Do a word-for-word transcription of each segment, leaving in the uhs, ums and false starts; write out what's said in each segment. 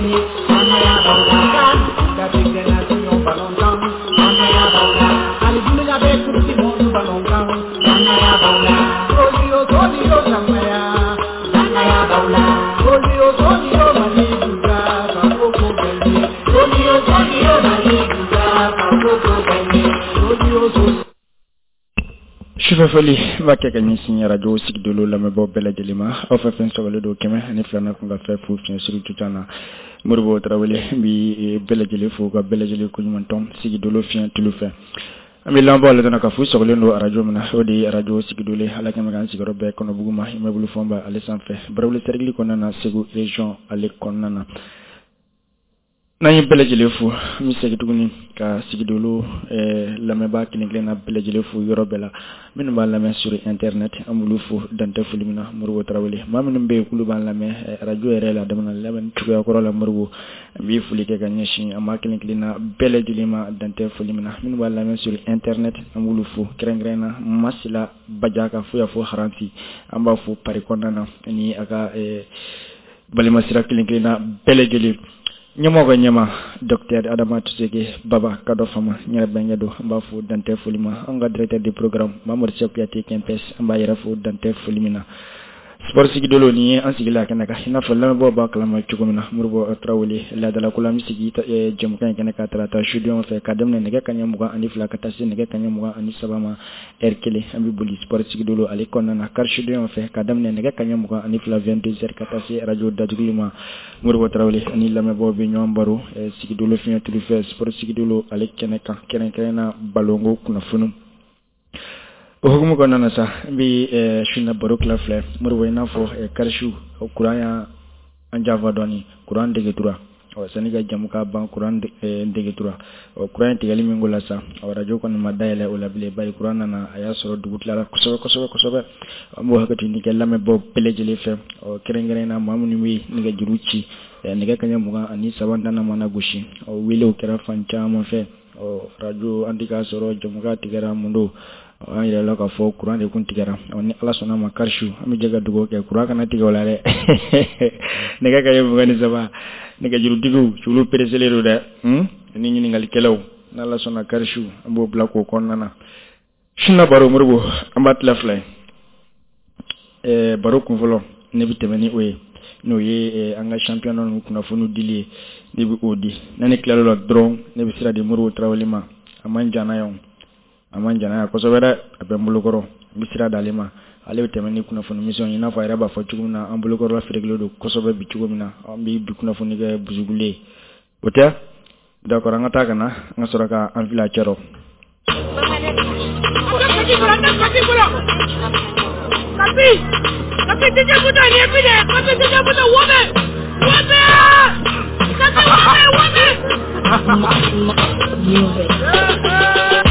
gagné. Danaya b'aw la. CAN, Coupe d'Afrique des Nations ballon tan. Danaya b'aw la. Hali dunuya bɛɛ Coupe du monde ballon kan. Danaya b'aw la. Solio solio Danaya. Danaya b'aw la. Solio solio Mali duga Fakoko gagné. Solio solio Mali duga Fakoko gagné. Solio solio. Sufɛ foli n b'a kɛ ka ɲɛsin arajo sigidolo lamɛnbaaw bɛɛ lajɛlen ma, aw fɛn fɛn sɔgɔlen don kɛmɛ ani filanan kun ka fɛn fu fiɲɛ suru tutan na. Moribo Tarawele n bi bɛɛ lajɛlen fo ka bɛɛ lajɛlen koɲuman tɔn sigidolo fiɲɛ tulu fɛ. An bɛ lamɛnbaaw ladɔnna k'a fɔ sɔgɔlen don arajo min na, o de ye arajo sigidolo ye. Ala kɛmɛ k'an sigiyɔrɔ bɛɛ kɔnɔbugu ma, immeuble Fɔnba ale sanfɛ, Barawuli cercle kɔnɔna na, Segu région ale kɔnɔna na. N'an ye bɛɛ lajɛlen fo, an bɛ segin tuguni ka sigidolo lamɛnbaa kelen kelenna bɛɛ lajɛlen fo yɔrɔ bɛɛ la. Minnu b'a lamɛn sur internet, an b'olu fo dantɛ foli min na. Moribo Tarawele, maa minnu bɛ yen k'olu b'an lamɛn arajo yɛrɛ la daminɛ lamɛnni cogoya kɔrɔ la, Moribo n bɛ foli kɛ ka ɲɛsin an maa kelen kelenna bɛɛ lajɛlen ma dantɛ foli min na. Minnu b'a lamɛn sur internet, an b'olu fo kɛrɛnkɛrɛn na Masila Badiaka fo y'a fɔ Haranti, an b'a fo Paris kɔnɔna na ani a ka balimasira kelen kelenna bɛɛ lajɛlen. Ɲɛmɔgɔ ka ɲɛma docteur Adama Tuseke Baba Kadɔ Fama n yɛrɛ bɛnkɛ don, an b'a fo dantɛ foli ma. An ka directeur de programme Mamadu Sɛku Kuyate Kɛnpɛs, an b'a yɛrɛ fo dantɛ foli min na. Sport sigidolo nin ye an sigila a kɛnɛ kan, i n'a fɔ lamɛnbaaw b'a kalama cogo min na. Moribo Tarawele laadalako la, an bɛ sigi jɛmukan in kɛnɛ kan tarata sudon fɛ ka daminɛ nɛgɛ kanɲɛ mugan ani fila ka taa se nɛgɛ kanɲɛ mugan ani saba ma heure kelen. An bɛ boli sport sigidolo ale kɔnɔna na kari sudon fɛ ka daminɛ nɛgɛ kanɲɛ mugan ani fila vingt-deux heures ka taa se arajo datuguli ma. Moribo Tarawele ani lamɛnbaaw bɛ ɲɔgɔn baro sigidolo fiɲɛ tulu fɛ sport sigidolo ale kɛnɛ kan, kɛrɛnkɛrɛn na balonko kunnafoniw. O hukumu kɔnɔna na sa, n bɛ su na baro tila fila. Moribo, i n'a fɔ karisu kuran y'an janfa dɔɔni, kuran degetura. Ɔ sani ka jamu ka ban, kuran degetura. Ɔ kuran in tigɛli min ko la sa, arajo kɔni ma dayɛlɛ o la bilen, bari kuran nana a y'a sɔrɔ dugu tilara kosɛbɛ kosɛbɛ kosɛbɛ. An b'o hakɛ ɲini kɛ lamɛnbaaw bɛɛ lajɛlen fɛ, ɔ kɛrɛnkɛrɛn na maa minnu bɛ nɛgɛjuru ci nɛgɛ kanɲɛ mugan ani saba nana mana gosi, ɔ welew kɛra fan caman fɛ. Ɔ arajo an tɛ k'a sɔrɔ, jamukan tigɛra, mun don an yɛrɛ la k'a fɔ kuran de kun tigɛra. Ni Ala sɔnna ma karisu an bɛ jɛ ka dugawu kɛ kuran kana tigɛ o la dɛ. Nɛgɛ kanɲɛ mugan ni saba nɛgɛjurutigiw olu pereselen don dɛ, ni ɲininkalikɛlaw, n'Ala sɔnna karisu an b'o bila k'o kɔnɔna na. Suna baro Moribo an b'a tila fila ye. Ɛɛ baro kunfɔlɔ ne bɛ tɛmɛ ni o ye, n'o ye an ka championnat ninnu kunnafoniw dili ye, ne bɛ o di. N'a ne tilal'o la dɔrɔn, ne bɛ sira di Moribo Tarawele ma. A man jan na yan, a man jan na yan kosɛbɛ dɛ, a bɛ n bolokɔrɔ. N bɛ sira d'ale ma, ale bɛ tɛmɛ ni kunnafoni misɛnw ye, i n'a fɔ a yɛrɛ b'a fɔ cogo min na, an bolokɔrɔla feerekelen don kosɛbɛ bi cogo min na, an bɛ bi kunnafoni kɛ busugule ye, o tɛ? D'accord, an ka taa ka na an ka sɔrɔ ka an fili a cɛ rɔ.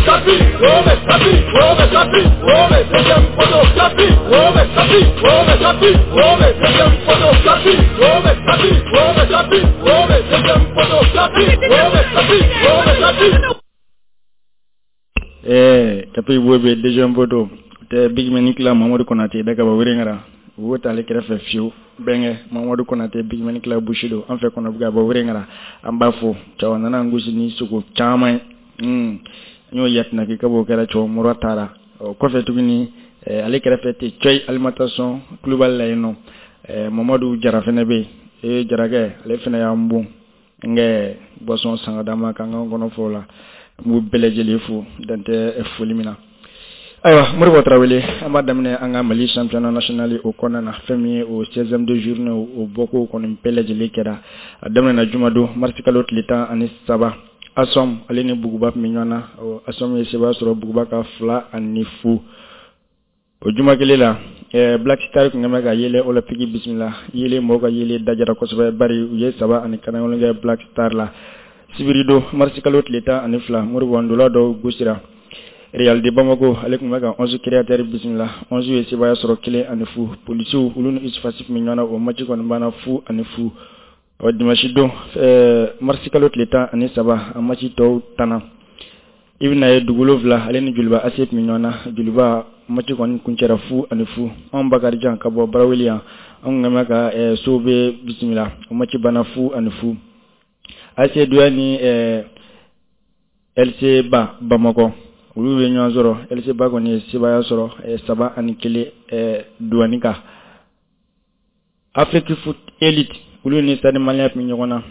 Kapi, Wome, Kapi, Wome, Kapi, Wome, deuxième poteau, Kapi, Wome, Kapi, Wome, Kapi, Wome, deuxième poteau, Kapi, Wome, Kapi, Wome, Kapi, Wome, deuxième poteau, Kapi, Wome, Kapi, Wome, Kapi. Eh, Kapi Wome, deuxième poteau. Tɛ Big Man Kila Mamadu Konate da ka bɔ Wɛrɛngara. Wo t'ale kɛrɛfɛ fiyewu. Bɛnkɛ Mamadu Konate Big Man Kila Bushi don an fɛ kɔnɔ ka bɔ Wɛrɛngara. An b'a fo. Cɛw nana an gosi ni sogo caman ye. Hmm. N y'o yatinaki ka b'o kɛra cɛw mura taara. O kɔfɛ tuguni ale kɛrɛfɛ tɛ cɔyi alimentation Kulubali la yen nɔ. Mamadu Jara fɛnɛ bɛ yen. Ee Jarakɛ ale fɛnɛ y'an bon. N kɛ boisson san ka d'an ma k'an k'an kɔnɔ fɔ o la. N b'u bɛɛ lajɛlen fo dan tɛ foli min na. Ayiwa Moribo Tarawele, an b'a daminɛ an ka Mali championnat national o kɔnɔna na. Fɛn min ye o seizième de journée o bɔko kɔni bɛɛ lajɛlen kɛra. A daminɛna jumadon mars kalo tile tan ani saba. Asom ale ni Buguba tun bɛ ɲɔgɔn na. Asom ye sebaya sɔrɔ Buguba ka fila ani fu. O juma kelen la, Black Star tun bɛ ka Yele Olympique bisimila. Yele mɔgɔw ka Yele dajara kosɛbɛ, bari u ye saba ani kanagolo kɛ Black Star la. Sibiri don mars kalo tile tan ani fila, Moribo ndola dɔw gosira. Real de Bamako ale tun bɛ ka onze créateurs bisimila. onze ye sebaya sɔrɔ kelen ani fu. Polisiw olu ni Usfasif tun bɛ ɲɔgɔn na, o match kɔni banna fu ani fu. Ɔ dimanche don mars kalo tile tan ani saba, a match tɔw tanna. I bɛna ye dugu wolonwula ale ni Joliba A C tun bɛ ɲɔgɔn na. Joliba Match kɔni kuncɛra fu ani fu. Anw Bakarijan ka bɔ Baraweli yan, anw kun bɛ ka Sobe bisimila, o match banna fu ani fu. A C Douane ni L C Ba Bamakɔ, olu ye ɲɔgɔn sɔrɔ. L C Ba kɔni ye sebaaya sɔrɔ saba ani kelen Douane kan. Afrique Foot Elite, olu ni Stade Malien tun bɛ ɲɔgɔn na.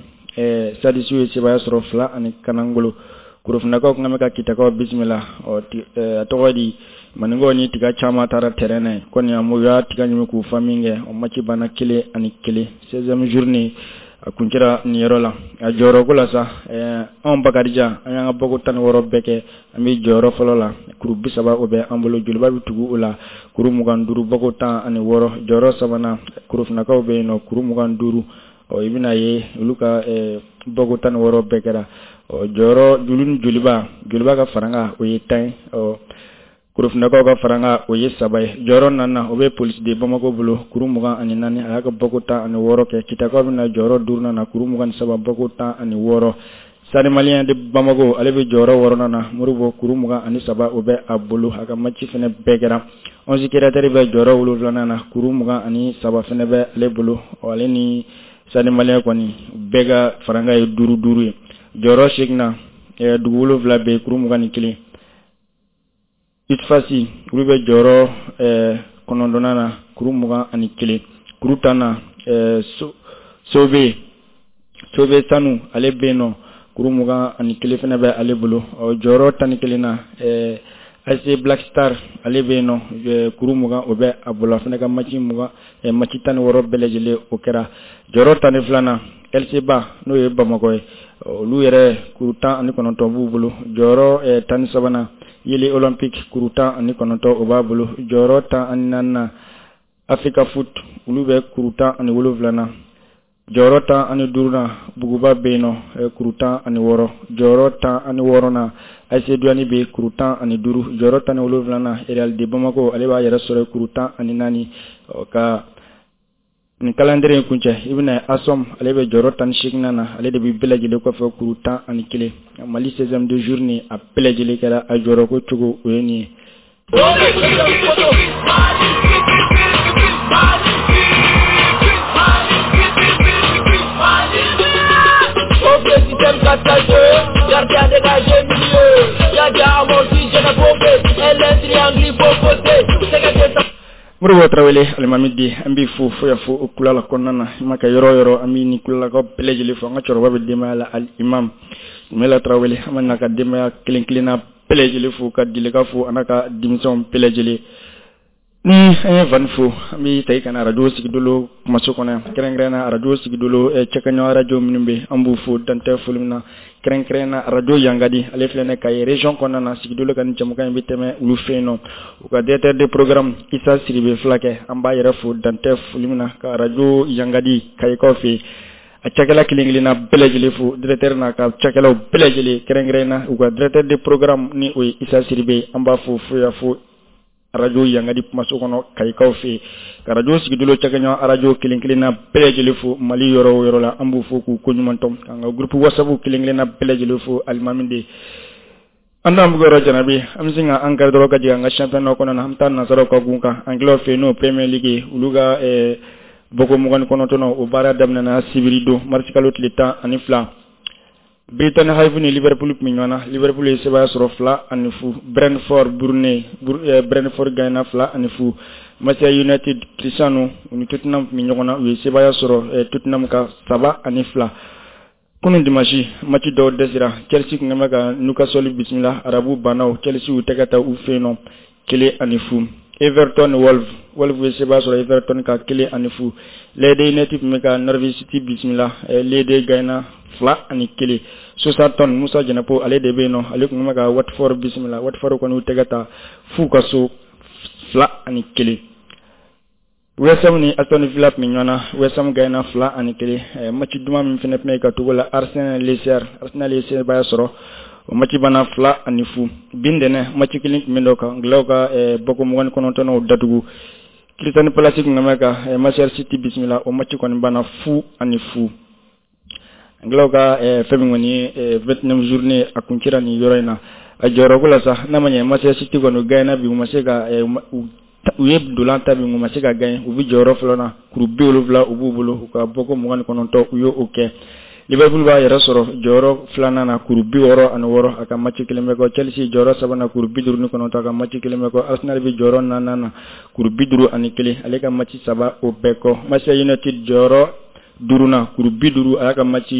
Stade ye sebaaya sɔrɔ fila ani kanangolo. Korofinakaw tun bɛ ka Kitakaw bisimila. Ɔ, a tɔgɔ di, maninkaw ni tiga caman taara terrain na yen kɔni, a u y'a tiga ɲimi k'u fa min kɛ, o match banna kelen ani kelen. seizième journée, a kuncɛra nin yɔrɔ la. A jɔyɔrɔko la sa, anw Bakarijan, an y'an ka bɔko tan ni wɔɔrɔ bɛɛ kɛ, an bɛ jɔyɔrɔ fɔlɔ la, kuru bi saba o bɛ an bolo. Joliba bɛ tugu o la, kuru mugan duuru, bɔko tan ani wɔɔrɔ. Jɔyɔrɔ sabanan, Korofinakaw bɛ yen nɔ, kuru mugan duuru. Ɔ, i bɛna ye olu ka bɔko tan ni wɔɔrɔ bɛɛ kɛra. Ɔ, jɔyɔrɔ julu ni Joliba, Joliba ka faranga o ye tan ye, ɔ, Korofinakaw ka faranga o ye saba ye. Jɔyɔrɔ naaninan, o bɛ Police de Bamako bolo, kuru mugan ani naani, a y'a ka bɔko tan ani wɔɔrɔ kɛ. Kitakaw bɛna jɔyɔrɔ duurunan na, kuru mugan ni saba, bɔko tan ani wɔɔrɔ. Stade Malien de Bamako, ale bɛ jɔyɔrɔ wɔɔrɔnan na, Moribo, kuru mugan ani saba o bɛ a bolo, a ka match fɛnɛ bɛɛ kɛra. Onze Créateurs bɛ jɔyɔrɔ wolonfilanan na, kuru mugan ani saba fɛnɛ bɛ ale bolo. Ale ni Stade Malien kɔni bɛɛ ka faranga ye duuru duuru ye. Jɔyɔrɔ seeginna, dugu wolonfila bɛ yen, kuru mugan ni kelen. U S F A S, olu bɛ jɔyɔrɔ kɔnɔntɔnnan na, kuru mugan ani kelen. Kuru tan na, Sobe Sobe Sanu, ale bɛ yen nɔ, kuru mugan ani kelen fana bɛ ale bolo. Ɔ, jɔyɔrɔ tan ni kelen na, A C Black Star, ale bɛ yen nɔ, kuru mugan o bɛ a bolo, a fana ka match mugan, match tan ni wɔɔrɔ bɛɛ lajɛlen o kɛra. Jɔyɔrɔ tan ni filanan, L C Ba, n'o ye Bamakɔ ye, olu yɛrɛ kuru tan ani kɔnɔntɔn b'u bolo. Jɔyɔrɔ tan ni sabanan, Yele Olympique, kuru tan ani kɔnɔntɔn o b'a bolo. Jɔyɔrɔ tan ani naaninan, Africa Foot, olu bɛ kuru tan ani wolonwula na. Jɔyɔrɔ tan ani duurunan, Buguba bɛ yen nɔ, kuru tan ani wɔɔrɔ. Jɔyɔrɔ tan ani wɔɔrɔnan, A C Douane bɛ kuru tan ani duuru. Jɔyɔrɔ tan ni wolonwulanan, Real de Bamako, ale b'a yɛrɛ sɔrɔ kuru tan ani naani. Ka nin calendrier in kuncɛ, i bɛna ASOM, ale bɛ jɔyɔrɔ tan ni seeginnan na, ale de bɛ bɛɛ lajɛlen kɔfɛ, kuru tan ani kelen. Mali seizième de journée, a bɛɛ lajɛlen kɛra, a jɔyɔrɔko cogo o ye nin ye. Système quatre quatre deux, gardien dégagé milieu, gardien amorti, je n'ai pas fait, L triangle, faut côté, c'est Moribo Tarawele, alimami di, an b'i fo fo ya fo o kulala kɔnɔna na. I ma kɛ yɔrɔ o yɔrɔ, an b'i ni kulalakaw bɛɛ lajɛlen fo. An ka cɛkɔrɔba bɛ denbaya la, alimam Mela Tarawele, an bɛ n'a ka denbaya kelen kelenna bɛɛ lajɛlen fo, ka Dileka fo, a n'a ka denmisɛnw bɛɛ lajɛlen. Ni an ye Vani fo, an bɛ ta ka na arajo Sigidolo kumaso kɔnɔ yan, kɛrɛnkɛrɛn na arajo Sigidolo cɛkaɲɔ arajo minnu bɛ, an b'u fo dantɛ foli min na, kɛrɛnkɛrɛn na arajo Yangadi, ale filɛ nin Kayi région kɔnɔna na. Sigidolo ka nin jɛmukan in bɛ tɛmɛ olu fɛ yen nɔ. U ka directeur de programme Isa Siribe Fulakɛ, an b'a yɛrɛ fo dantɛ foli min na, ka arajo Yangadi Kayikaw fɛ yen, a cakɛla kelen kelenna bɛɛ lajɛlen fo, directeur n'a ka cakɛlaw bɛɛ lajɛlen, kɛrɛnkɛrɛn na u ka directeur de programme ni o ye Isa Siribe, an b'a fo fo ya fo arajo Yangadi kumaso kɔnɔ Kayikaw fɛ yen, ka arajo Sigidolo cakɛɲɔgɔn arajo kelen kelenna bɛɛ lajɛlen fo Mali yɔrɔ o yɔrɔ la, an b'u fo k'u koɲuman dɔn, k'an ka groupe WhatsApp kelen kelenna bɛɛ lajɛlen fo. Alimami de an t'an buguyɔrɔ jarabi, an bɛ sin ka an kari dɔrɔn ka jigin an ka championnat kɔnɔna na. An bɛ taa nansaraw ka gun kan, anglais fɛ yen, n'o Premier League, olu ka bɔko mugan ni kɔnɔntɔn o baara daminɛna sibiri don, marisi kalo tile tan ani fila. Brighton Hove ni Liverpool tun bɛ ɲɔgɔn na, Liverpool ye sebaaya sɔrɔ fila ani fu. Brentford Burnley, Brentford gagnera fila ani fu. Manchester United Cristiano, u ni Tottenham tun bɛ ɲɔgɔn na, u ye sebaaya sɔrɔ Tottenham ka saba ani fila. Kunun dimanche, match dɔw dɛsɛra. Chelsea tun bɛ ka Newcastle bisimila, arabu bannaw Chelsea y'u tɛgɛ ta u fɛ yen nɔ kelen ani fu. Everton Wolves, Wolves ye sebaaya sɔrɔ Everton ka kelen ani fu. Leeds United tun bɛ ka Norwich City bisimila, Leeds gagnera fila ani kelen. Southampton, Musa Jɛnɛpo, ale de bɛ yen nɔ, ale tun bɛ ka Watford bisimila, Watford kɔni y'u tɛgɛ ta f'u ka so fila ani kelen. West Ham ni Aston Villa tun bɛ ɲɔgɔn na, West Ham gagnera fila ani kelen. Match duman min fana tun bɛ ka togo la, Arsenal Leicester, Arsenal ye sebaaya sɔrɔ, o match banna fila ani fu. Bin dɛnɛ, match kelen tun bɛ dɔ kan, anglais ka bɔko mugan ni kɔnɔntɔnnaw datugu. Crystal Palace tun bɛ ka Manchester City bisimila, o match kɔni banna fu ani fu. Anglais ka fɛn min kɔni ye vingt-neuf journée, a kuncɛra nin yɔrɔ in na. A jɔyɔrɔ ko la sa, n'a ma ɲɛ Manchester City kɔni gagné bi, u ma se ka u ye dolan ta bi, u ma se ka gagné. U bɛ jɔyɔrɔ fɔlɔ na, kuru bi wolonwula u b'u bolo, u ka bɔko mugan ni kɔnɔntɔn u y'o kɛ. Liverpool b'a yɛrɛ sɔrɔ jɔyɔrɔ filanan na, kuru bi wɔɔrɔ ani wɔɔrɔ, a ka match kelen bɛ kɔ. Chelsea jɔyɔrɔ sabanan, kuru bi duuru ni kɔnɔntɔn, a ka match kelen bɛ kɔ. Arsenal bɛ jɔyɔrɔ naaninan na, kuru bi duuru ani kelen, ale ka match saba o bɛɛ kɔ. Manchester United jɔyɔrɔ duurunan, kuru bi duuru, a y'a ka match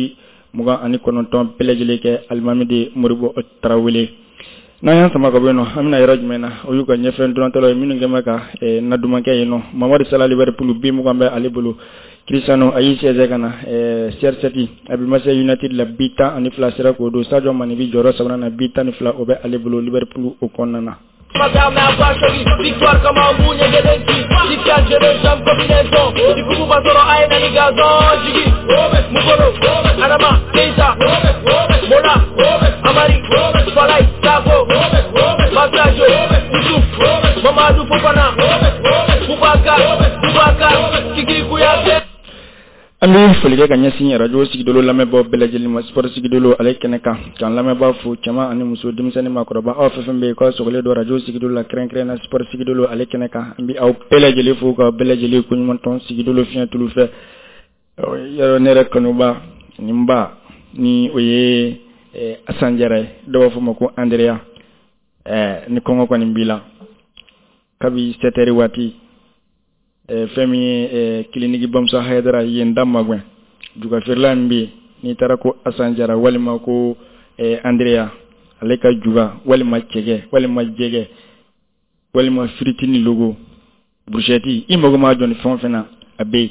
mugan ani kɔnɔntɔn bɛɛ lajɛlen kɛ. Alimami de Moribo Tarawele, n'an y'an sama ka bɔ yen nɔ, an bɛna yɔrɔ jumɛn na? O y'u ka ɲɛfɛ ntolantɔlaw ye minnu kɛn bɛ ka nadumankɛ yen nɔ. Mamadu Salah, Liverpool, bi mugan bɛ ale bolo. Cristiano a y'i sɛnsɛn ka na C R sept, a bɛ Manchester United la, bi tan ani fila sera k'o don. Sadio Mane bi jɔyɔrɔ sabanan na, bi tan ni fila o bɛ ale bolo Liverpool o kɔnɔna na. Victoire comme un bout, du coup, Adama, Keita, Mola, Amari, Falai, Sako, Masajo, Youssouf, Mamadou Fofana, Boubacar, Boubacar, Kiki Kouyaté. An bɛ foli kɛ ka ɲɛsin radio Sigidolo lamɛnbaaw bɛɛ lajɛlen ma, sport Sigidolo ale kɛnɛ kan, k'an lamɛnbaa fo, cɛman ani muso, denmisɛnnin, maakɔrɔba, aw fɛn fɛn bɛ yen k'aw sɔgɔlen don radio Sigidolo la, kɛrɛnkɛrɛn na sport Sigidolo ale kɛnɛ kan. An bɛ aw bɛɛ lajɛlen fo k'aw bɛɛ lajɛlen koɲuman tɔn Sigidolo fiɲɛ tulu fɛ. Yɔrɔ ne yɛrɛ kanuba nin ba ni o ye Asan Jara ye, dɔw b'a fɔ ma ko Andrea. Ni kɔngɔ kɔni b'i la kabi sept heures waati, fɛn min ye clinique Bamusa Hayidara yen da magɛn juga feerela min bɛ yen, n'i taara ko Asan Jara walima ko Andrea, ale ka juga walima cɛkɛ walima jɛgɛ walima firiti ni logo brochette, i mago ma jɔ ni fɛn o fɛn na, a bɛ yen.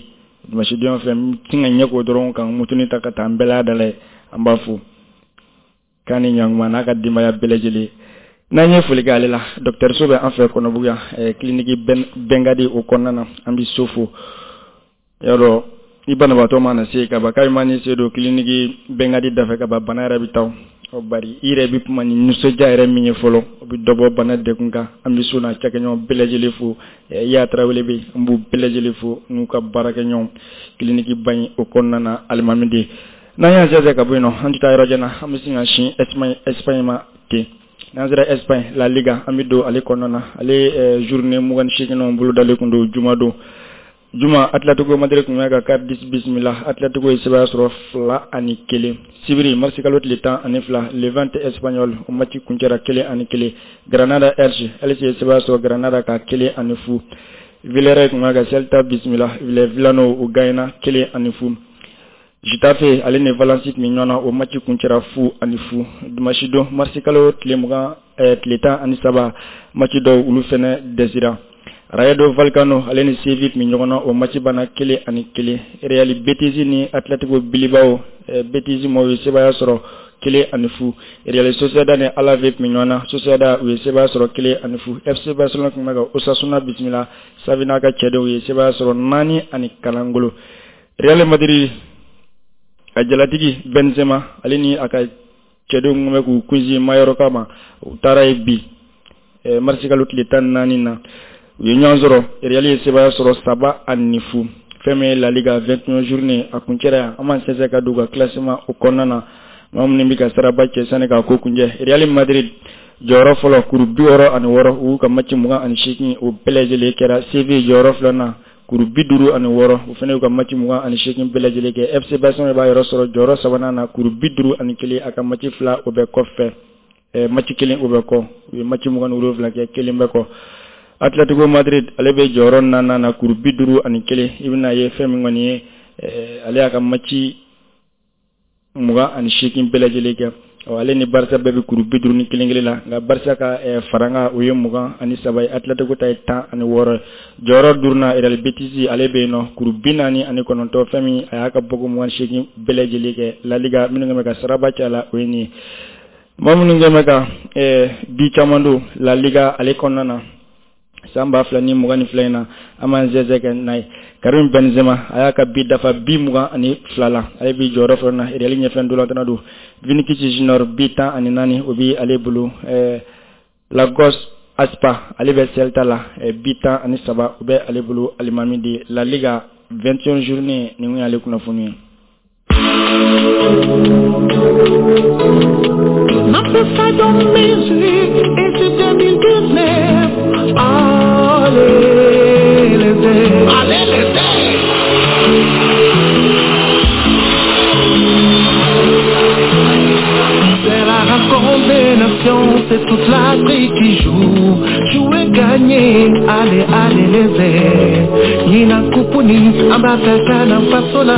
Dimanche don fɛ n tɛ ka ɲɛ k'o dɔrɔn kan mutuni ta ka taa n bɛɛ la ye. An b'a fo k'a ni ɲankuma n'a ka denbaya bɛɛ lajɛlen. N'an ye foli kɛ ale la, docteur so bɛ an fɛ Kɔnɔbugu yan, clinique Bengadi o kɔnɔna na, an bɛ so fo. Yɔrɔ i banabaatɔ mana se ka ban, k'a ma ni se don clinique Bengadi dafɛ ka ban, bana yɛrɛ bɛ taa o bari i yɛrɛ bɛ kuma ni nisɔndiya yɛrɛ min ye fɔlɔ, o bɛ dɔ bɔ bana degun kan. An bɛ so n'a cakɛɲɔgɔn bɛɛ lajɛlen fo. Iya Tarawele bɛ yen, an b'u bɛɛ lajɛlen fo n'u ka baarakɛɲɔgɔn clinique ba in o kɔnɔna na. Alimami de, n'an y'an sɛnsɛn ka bɔ yen nɔ, an tɛ taa yɔrɔ jan na, an bɛ sin ka sin Espagne Espagne ma ten. N'an sera Espagne La Liga, an bɛ don ale kɔnɔna na. Ale journée mugan ni seegin bolo dalen kun don juma don. Juma, Atletico Madrid tun bɛ ka Cardiff bisimila, Atletico ye sebaya sɔrɔ fila ani kelen. Sibiri marisi kalo tile tan ani fila, Levante Espanyol o match kuncɛra kelen ani kelen. Granada Elche, Elche ye sebaya sɔrɔ Granada ka kelen ani fu. Villarreal tun bɛ ka Celta bisimila, Villano o gagné kelen ani fu. Getafe ale ni Valence tun bɛ ɲɔgɔn na, o match kuncɛra fu ani fu. Dimanche don marisi kalo tile mugan tile tan ani saba, match dɔw olu fɛnɛ dɛsɛra. Rayo Vallecano ale ni Sevilla tun bɛ ɲɔgɔn na, o match banna kelen ani kelen. Real Betis ni Atletico Bilbao, Betis maaw ye sebaya sɔrɔ kelen ani fu. Real Sociedad ni Alaves tun bɛ ɲɔgɔn na, Sociedad u ye sebaya sɔrɔ kelen ani fu. F C Barcelone tun bɛ ka Osasuna bisimila, Xavi n'a ka cɛdenw ye sebaya sɔrɔ naani ani kalangolo. Real Madrid a jalatigi Benzema ale ni a ka cɛdenw tun bɛ k'u kunsin Mallorca ma, u taara yen bi marisi kalo tile tan ni naani na, u ye ɲɔgɔn sɔrɔ. Real ye sebaya sɔrɔ saba ani fu. Fɛn min ye La Liga vingt et un journée a kuncɛra yan, an b'an sɛnsɛn ka don u ka classement o kɔnɔna na. Maa minnu bɛ ka saraba cɛ sani k'a ko kuncɛ, Real Madrid jɔyɔrɔ fɔlɔ kuru bi wɔɔrɔ ani wɔɔrɔ, u y'u ka match mugan ani seegin o bɛɛ lajɛlen kɛra. Sevilla jɔyɔrɔ filanan, kuru bi duuru ani wɔɔrɔ, o fana y'u ka match mugan ani seegin bɛɛ lajɛlen kɛ. F C Barcelone b'a yɔrɔ sɔrɔ jɔyɔrɔ sabanan na, kuru bi duuru ani kelen, a ka match fila o bɛ kɔfɛ, match kelen o bɛ kɔ, u ye match mugan ni wolonwula kɛ, kelen bɛ kɔ. Atletico Madrid ale bɛ jɔyɔrɔ naaninan na, kuru bi duuru ani kelen. I bɛna ye fɛn min kɔni ye, ale y'a ka match mugan ani seegin bɛɛ lajɛlen kɛ. Ale ni Barca bɛɛ bɛ kuru bi duuru ni kelen kelen la, nka Barca ka faranga o ye mugan ani saba ye, Atletico ta ye tan ani wɔɔrɔ. Jɔyɔrɔ duurunan Real Betis ale bɛ yen nɔ, kuru bi naani ani kɔnɔntɔn, fɛn min a y'a ka bɔko mugan ni seegin bɛɛ lajɛlen kɛ. La Liga minnu bɛ ka saraba cɛ la o ye nin ye. Maa minnu bɛ ka bi caman don La Liga ale kɔnɔna na san ba fila ni mugan ni fila in na, an b'an sɛnsɛn kɛ n'a ye. Karim Benzema a y'a ka bi dafa bi mugan ani fila la, ale bi jɔyɔrɔ fɔlɔ na Real ɲɛfɛ ntolantanna don. Vinicius Junior bi tan ani naani o bi ale bolo. Lagos Aspa ale bɛ Celta la, bi tan ani saba o bɛ ale bolo. Alimami de La Liga vingt et un journée nin y'ale kunnafoni ye. Ma c'est toute l'Afrique qui joue. Jouer, gagner, allez, allez les airs. Nina Kupuni, Ambataka, Fasola.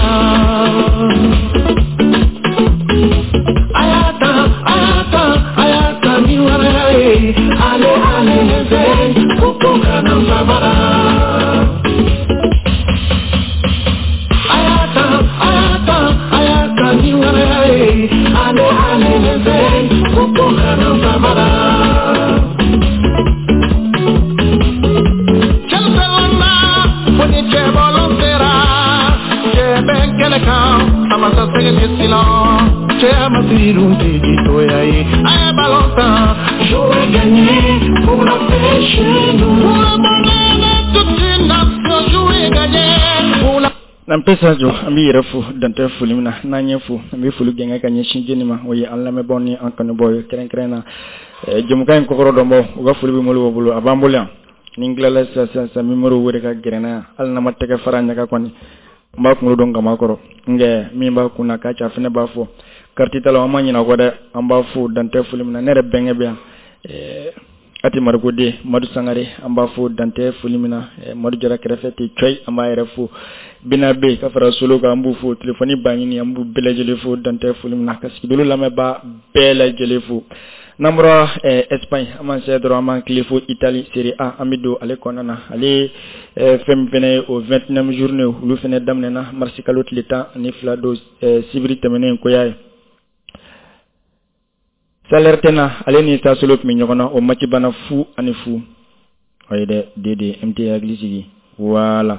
Ayata, ayata, ayata, miwarae. Allez, allez les airs, Kupuka Namabara. Ayata, ayata, ayata, miwarae. Allez, allez les airs, Kupuka Namabara. Jouer, gagner pour la paix chez nous. Pour le bonheur de toute une nation, jouer, gagner pour la. N'an pesa jo an b'i yɛrɛ fo dantɛ foli min na n'an ye fo an bɛ foli gɛngɛ ka ɲɛsin jeni ma o ye an lamɛnbaaw ni an kanubaaw ye kɛrɛnkɛrɛn na jɛmukan in kɔkɔrɔ dɔnbaw u ka foli bɛ mɔlɔw bolo a b'an bolo yan ni n tilala sisan sisan sisan nimoro wele ka gɛrɛ n na yan hali n'an ma tɛgɛ fara ɲaga kɔni n b'a kunkolo dɔn kama kɔrɔ nkɛ min b'a kun na k'a ca fɛnɛ b'a fɔ kariti talaw an ma ɲinɛ kɔ dɛ an b'a fo dantɛ foli min na ne yɛrɛ bɛnkɛ bɛ yan ati Marikoden Madu Sangare an b'a fo dantɛ foli min na Madu Jara kɛrɛfɛ ten cɔyi an b'a yɛrɛ fo Bina bɛ ka fara solo kan an b'u fo telefɔni Baɲini an b'u bɛɛ lajɛlen fo dantɛ foli min na ka sigidolo lamɛnbaa bɛɛ lajɛlen fo n'an bɔra Espagne an b'an sɛ dɔrɔn an b'an tile fo Italie Serie A an bɛ don ale kɔnɔna na ale fɛn min fɛnɛ ye o vingt-neuvième journée olu fɛnɛ daminɛna marisi kalo tile tan ani fila don sibiri tɛmɛnen koya ye Salernitana ale ni Sassuolo tun bɛ ɲɔgɔn na o match banna fu ani fu o ye dɛ D D M T hakili sigi voilà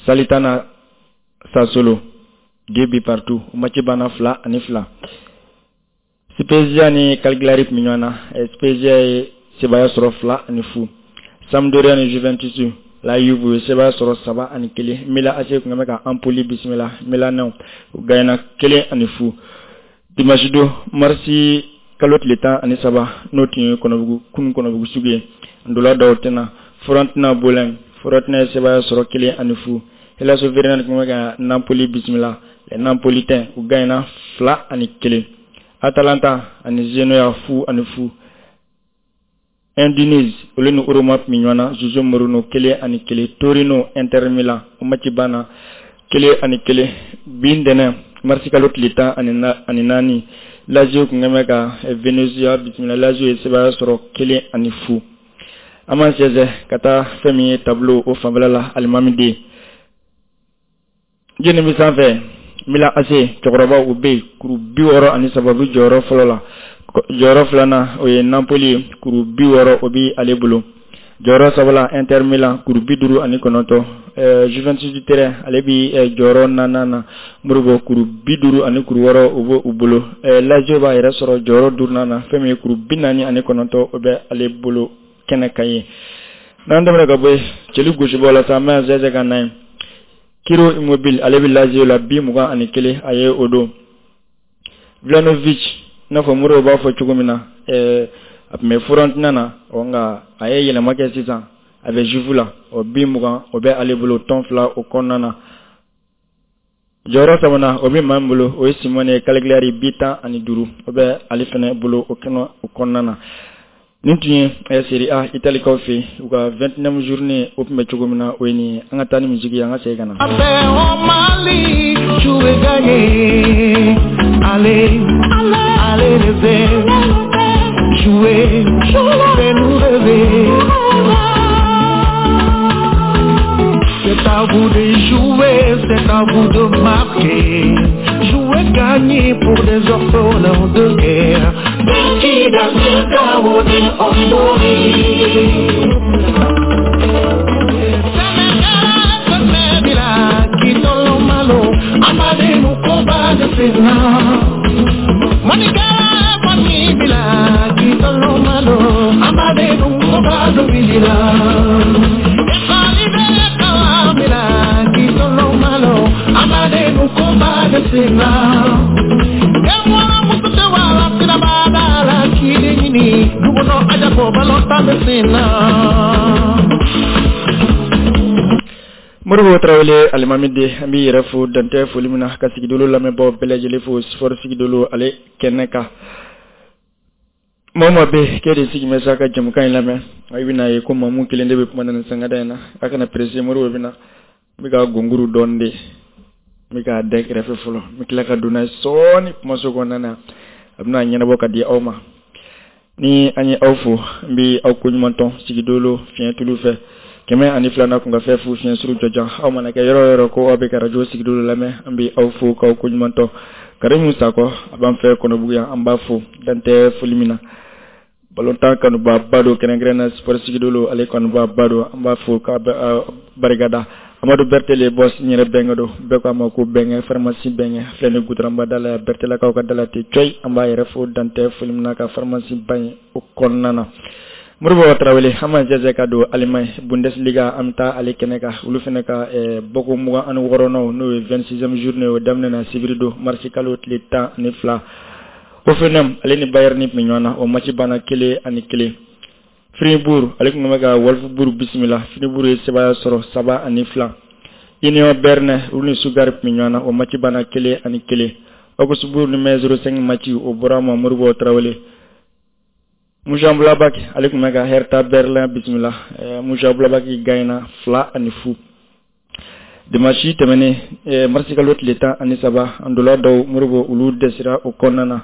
Salernitana Sassuolo deux buts partout o match banna fila ani fila Spezia ni Cagliari tun bɛ ɲɔgɔn na Spezia ye sebaaya sɔrɔ fila ani fu Sampdoria ni Juventus la Juve ye sebaaya sɔrɔ saba ani kelen Milan A C tun bɛ ka Empoli bisimila Milanɛw u gagnera kelen ani fu dimanche don marisi kalo tile tan ani saba n'o tun ye kɔnɔbugu kunun kɔnɔbugu sugu ye ndola dɔw tɛna Fiorentina Bologne Fiorentina ye sebaaya sɔrɔ kelen ani fu Hellas Verona tun bɛ ka Napoli bisimila les Napolitains u gagnera fila ani kelen Atalanta ani Genoa fu ani fu Udinese olu ni Roma tun bɛ ɲɔgɔn na Jose Mourinho kelen ani kelen Torino Inter Milan o match banna kelen ani kelen bi ntɛnɛn marisi kalo tile tan ani naani Lazio tun bɛ ka Venezia bisimila Lazio ye sebaaya sɔrɔ kelen ani fu an b'an sɛnsɛn ka taa fɛn min ye tableau o fanfɛla la alimami den jeni bɛ sanfɛ Milan A C cɛkɔrɔbaw u bɛ yen kuru bi wɔɔrɔ ani saba u bɛ jɔyɔrɔ fɔlɔ la jɔyɔrɔ filanan o ye Napoli ye kuru bi wɔɔrɔ o bɛ ale bolo jɔyɔrɔ sabanan Inter Milan kuru bi duuru ani kɔnɔntɔn Juventus du Turin ale bɛ jɔyɔrɔ naaninan na Moribo kuru bi duuru ani kuru wɔɔrɔ o bɛ u bolo Lazio b'a yɛrɛ sɔrɔ jɔyɔrɔ duurunan na fɛn min ye kuru bi naani ani kɔnɔntɔn o bɛ ale bolo kɛnɛ kan ye n'an tɛmɛna ka bɔ yen cɛli gosibɔ la sa an bɛ sɛnsɛn ka na ye Ciro Immobile ale bɛ Lazio la bi mugan ani kelen a ye o don Vlahovic i n'a fɔ Moribo b'a fɔ cogo min na ɛɛ a tun bɛ Fiorentina na ɔ nka a ye yɛlɛma kɛ sisan a bɛ Juve la o bi mugan o bɛ ale bolo tɔn fila o kɔnɔna na jɔyɔrɔ sabanan o bɛ maa min bolo o ye Simone Cagliari bi tan ani duuru o bɛ ale fana bolo o kɛnɛ o kɔnɔna na nin tun ye Serie A Italikaw fɛ yen u ka vingt-neuvième journée o tun bɛ cogo min na o ye nin ye an ka taa ni musique ye an ka segin ka na. Allez, allez les airs, jouer, fais-nous rêver. C'est à vous de jouer, c'est à vous de marquer. Jouer, gagner pour des orphelins de guerre. Moribo Tarawele alimami de an b'i yɛrɛ fo dantɛ foli min na ka sigidolo lamɛnbaaw bɛɛ lajɛlen fo sport sigidolo ale kɛnɛ kan Maa maa bɛ k'e de sigi bɛ sa ka jamukan in lamɛn, i bɛna ye ko Mamu kelen de bɛ kuma na nin sangada in na. A kana pressé, Moribo bɛ na. N bɛ ka gonguru dɔɔni de, n bɛ k'a da kɛrɛfɛ fɔlɔ, n bɛ tila ka don n'a ye sɔɔni kumaso kɔnɔna na, a bɛna ɲɛnabɔ ka di aw ma. Ni an ye aw fo, n bɛ aw koɲuman tɔn sigidolo fiɲɛ tulu fɛ kɛmɛ ani filanan kun ka fɛn fu fiɲɛ suru jɔjan. Aw mana kɛ yɔrɔ o yɔrɔ ko aw bɛ ka radio sigidolo lamɛn, an bɛ aw fo k'aw koɲuman tɔn. Karimu Sakɔ a b'an fɛ Kɔnɔbugu yan, an b'a fo dantɛ foli min na. Balontan kanuba ba don, kɛrɛnkɛrɛn na sport sigidolo ale kanuba ba don, an b'a fo k'a barikada. Amadu Bertele boss n yɛrɛ bɛnkɛ don, bɛɛ k'a ma ko bɛnkɛ, pharmacie bɛnkɛ filɛ ni goudronba da la, Bertelakaw ka da la ten cɔyi. An b'a yɛrɛ fo dantɛ foli min na ka pharmacie ba in o kɔnɔna na. Moribo Tarawele, an b'an jɛsɛ ka don Allemagne Bundesliga, an bɛ taa ale kɛnɛ kan. Olu fana ka bɔko mugan ani wɔɔrɔnaw, n'o ye vingt-sixième journée, o daminɛna sibiri don marisi kalo tile tan ani fila. Hoffenheim ale ni Bayern tun bɛ ɲɔgɔn na, o match banna kelen ani kelen. Fribourg ale tun bɛ ka Wolfsburg bisimila, Fribourg ye sebaaya sɔrɔ saba ani fila. Union Berne olu ni Stuttgart tun bɛ ɲɔgɔn na, o match banna kelen ani kelen. Augsburg ni Mainz zéro cinq match o bɔra ma Moribo Tarawele. Mönchengladbach ale tun bɛ ka Hertha Berlin bisimila, Mönchengladbach gagnera fila ani fu. Dimanche tɛmɛnen marisi kalo tile tan ani saba, ndola dɔw Moribo olu dɛsɛra o kɔnɔna na.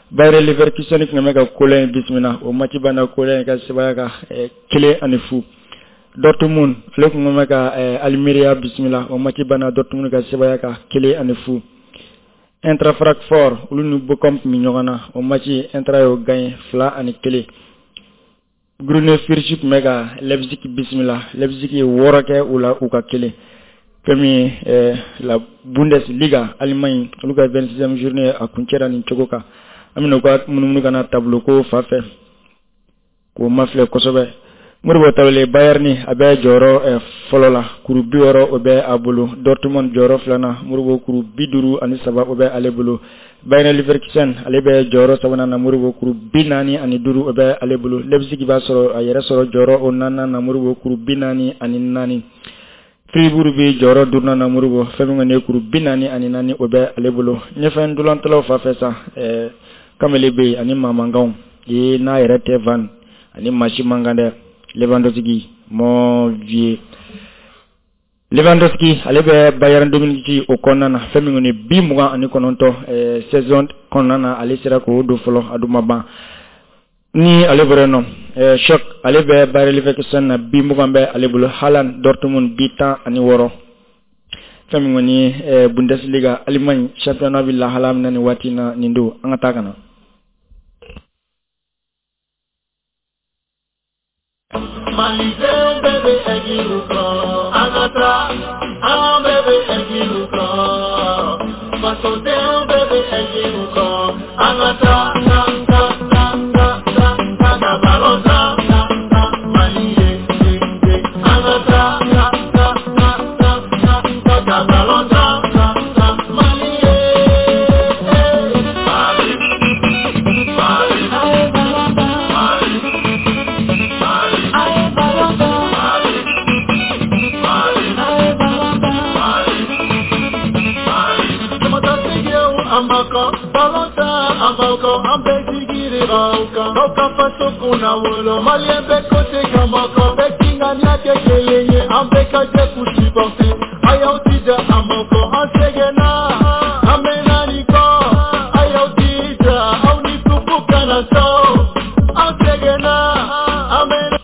Bayer Leverkusen tun bɛ ka Cologne bisimila, o match banna Cologne ka sebaaya kan kelen ani fu. Dortmund ale tun bɛ ka Almeria bisimila, o match banna Dortmund ka sebaaya kan kelen ani fu. Eintracht Francfort olu ni Bochum tun bɛ ɲɔgɔn na, o match Eintracht y'o gagné fila ani kelen. Grüne Fürth tun bɛ ka Leipzig bisimila, Leipzig ye wɔɔrɔ kɛ u la u ka kelen. Fɛn min ye la Bundesliga Allemagne olu ka vingt-sixième journée a kuncɛra nin cogo kan. An bɛna u ka munumunu ka na tableau ko fa fɛ k'o mafilɛ kosɛbɛ. Moribo Tarawele, Bayern a bɛ jɔyɔrɔ fɔlɔ la, kuru bi wɔɔrɔ o bɛ a bolo. Dortmund jɔyɔrɔ filanan, Moribo kuru bi duuru ani saba o bɛ ale bolo. Bayer Leverkusen ale bɛ jɔyɔrɔ sabanan na, Moribo kuru bi naani ani duuru o bɛ ale bolo. Leipzig b'a sɔrɔ a yɛrɛ sɔrɔ jɔyɔrɔ o naaninan na, Moribo kuru bi naani ani naani. Fribourg bɛ jɔyɔrɔ duurunan na, Moribo fɛn min kɔni ye kuru bi naani ani naani o bɛ ale bolo. Ɲɛfɛ ntolantalaw fan fɛ sa, ɛɛ Kamele bɛ yen ani Mamankanw ye n'a yɛrɛ tɛ van ani maa si man kan dɛ. Lewandowski mon vieux, Lewandowski ale bɛ Bayern de Munich o kɔnɔna na, fɛn min kɔni bi mugan ani kɔnɔntɔn saison kɔnɔna na, ale sera k'o don fɔlɔ, a dun ma ban. Ni ale bɔra yen nɔ, Schock ale bɛ Bayer Leverkusen na, bi mugan bɛ ale bolo. Haaland Dortmund bi tan ani wɔɔrɔ. Fɛn min kɔni ye Bundesliga Allemagne championnat bɛ lahala min na nin waati in na, nin don an ka taa ka na. Malidenw bɛɛ bɛ ɛjiw kɔ, an ka taa, an bɛɛ bɛ ɛjiw kɔ. Fasodenw bɛɛ bɛ ɛjiw kɔ, an ka taa, taa, taa, taa, taa, taa, ka balon tan, tan, Mali ye, ye, ye. An ka taa, taa, taa, taa, taa, taa, ka balon tan, tan, tan, Mali ye. Mali, Mali, Mali, Mali. Malien bɛɛ ko tɛ ka mɔgɔ bɛɛ k'i ŋaniya kɛ kelen ye, an bɛɛ ka jɛ k'u supporter. A y'aw jija a mɔgɔ, an sɛgɛnna, an mɛnna nin kɔ. A y'aw jija, aw ni tugu kana sɔn. An sɛgɛnna, an mɛnna.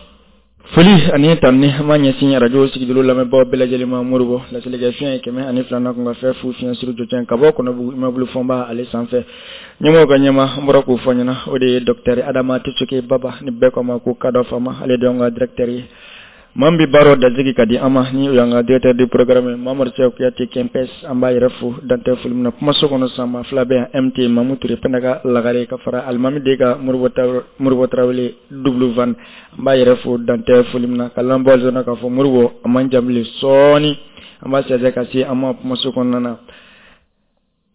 Foli ani tanuni an b'a ɲɛsin radio sigidolo lamɛnbaaw bɛɛ lajɛlen ma. Moribo laselikɛ fiɲɛ ye kɛmɛ ani filanan kun ka fɛn fu fiɲɛ suru jɔcɛn ka bɔ Kɔnɔbugu immeuble Fɔnba ale sanfɛ. Ɲɛmɔgɔw ka ɲɛma, an bɔra k'o fɔ ɲɛna, o de ye docteur Adama Tisoke Baba, ni bɛɛ ko a ma ko Kadɔ Fama, ale de y'anw ka directeur ye. Maa min bɛ baaraw dasigi ka di an ma, ni o y'an ka directeur de programme Mamadu Sɛku Kuyate Kɛnpɛs, an b'a yɛrɛ fo dantɛ foli min na. Kumaso kɔnɔ sisan, maa fila bɛ yan, M T Mamu Ture Pɛndaga Lagare ka fara Alimami de ka Moribo Tarawele double van, an b'a yɛrɛ fo dantɛ foli min na. Ka lamɛnbaaw zɔnna k'a fɔ Moribo a man jan bilen, sɔɔni an b'a sɛsɛ ka se an ma kumaso kɔnɔna na.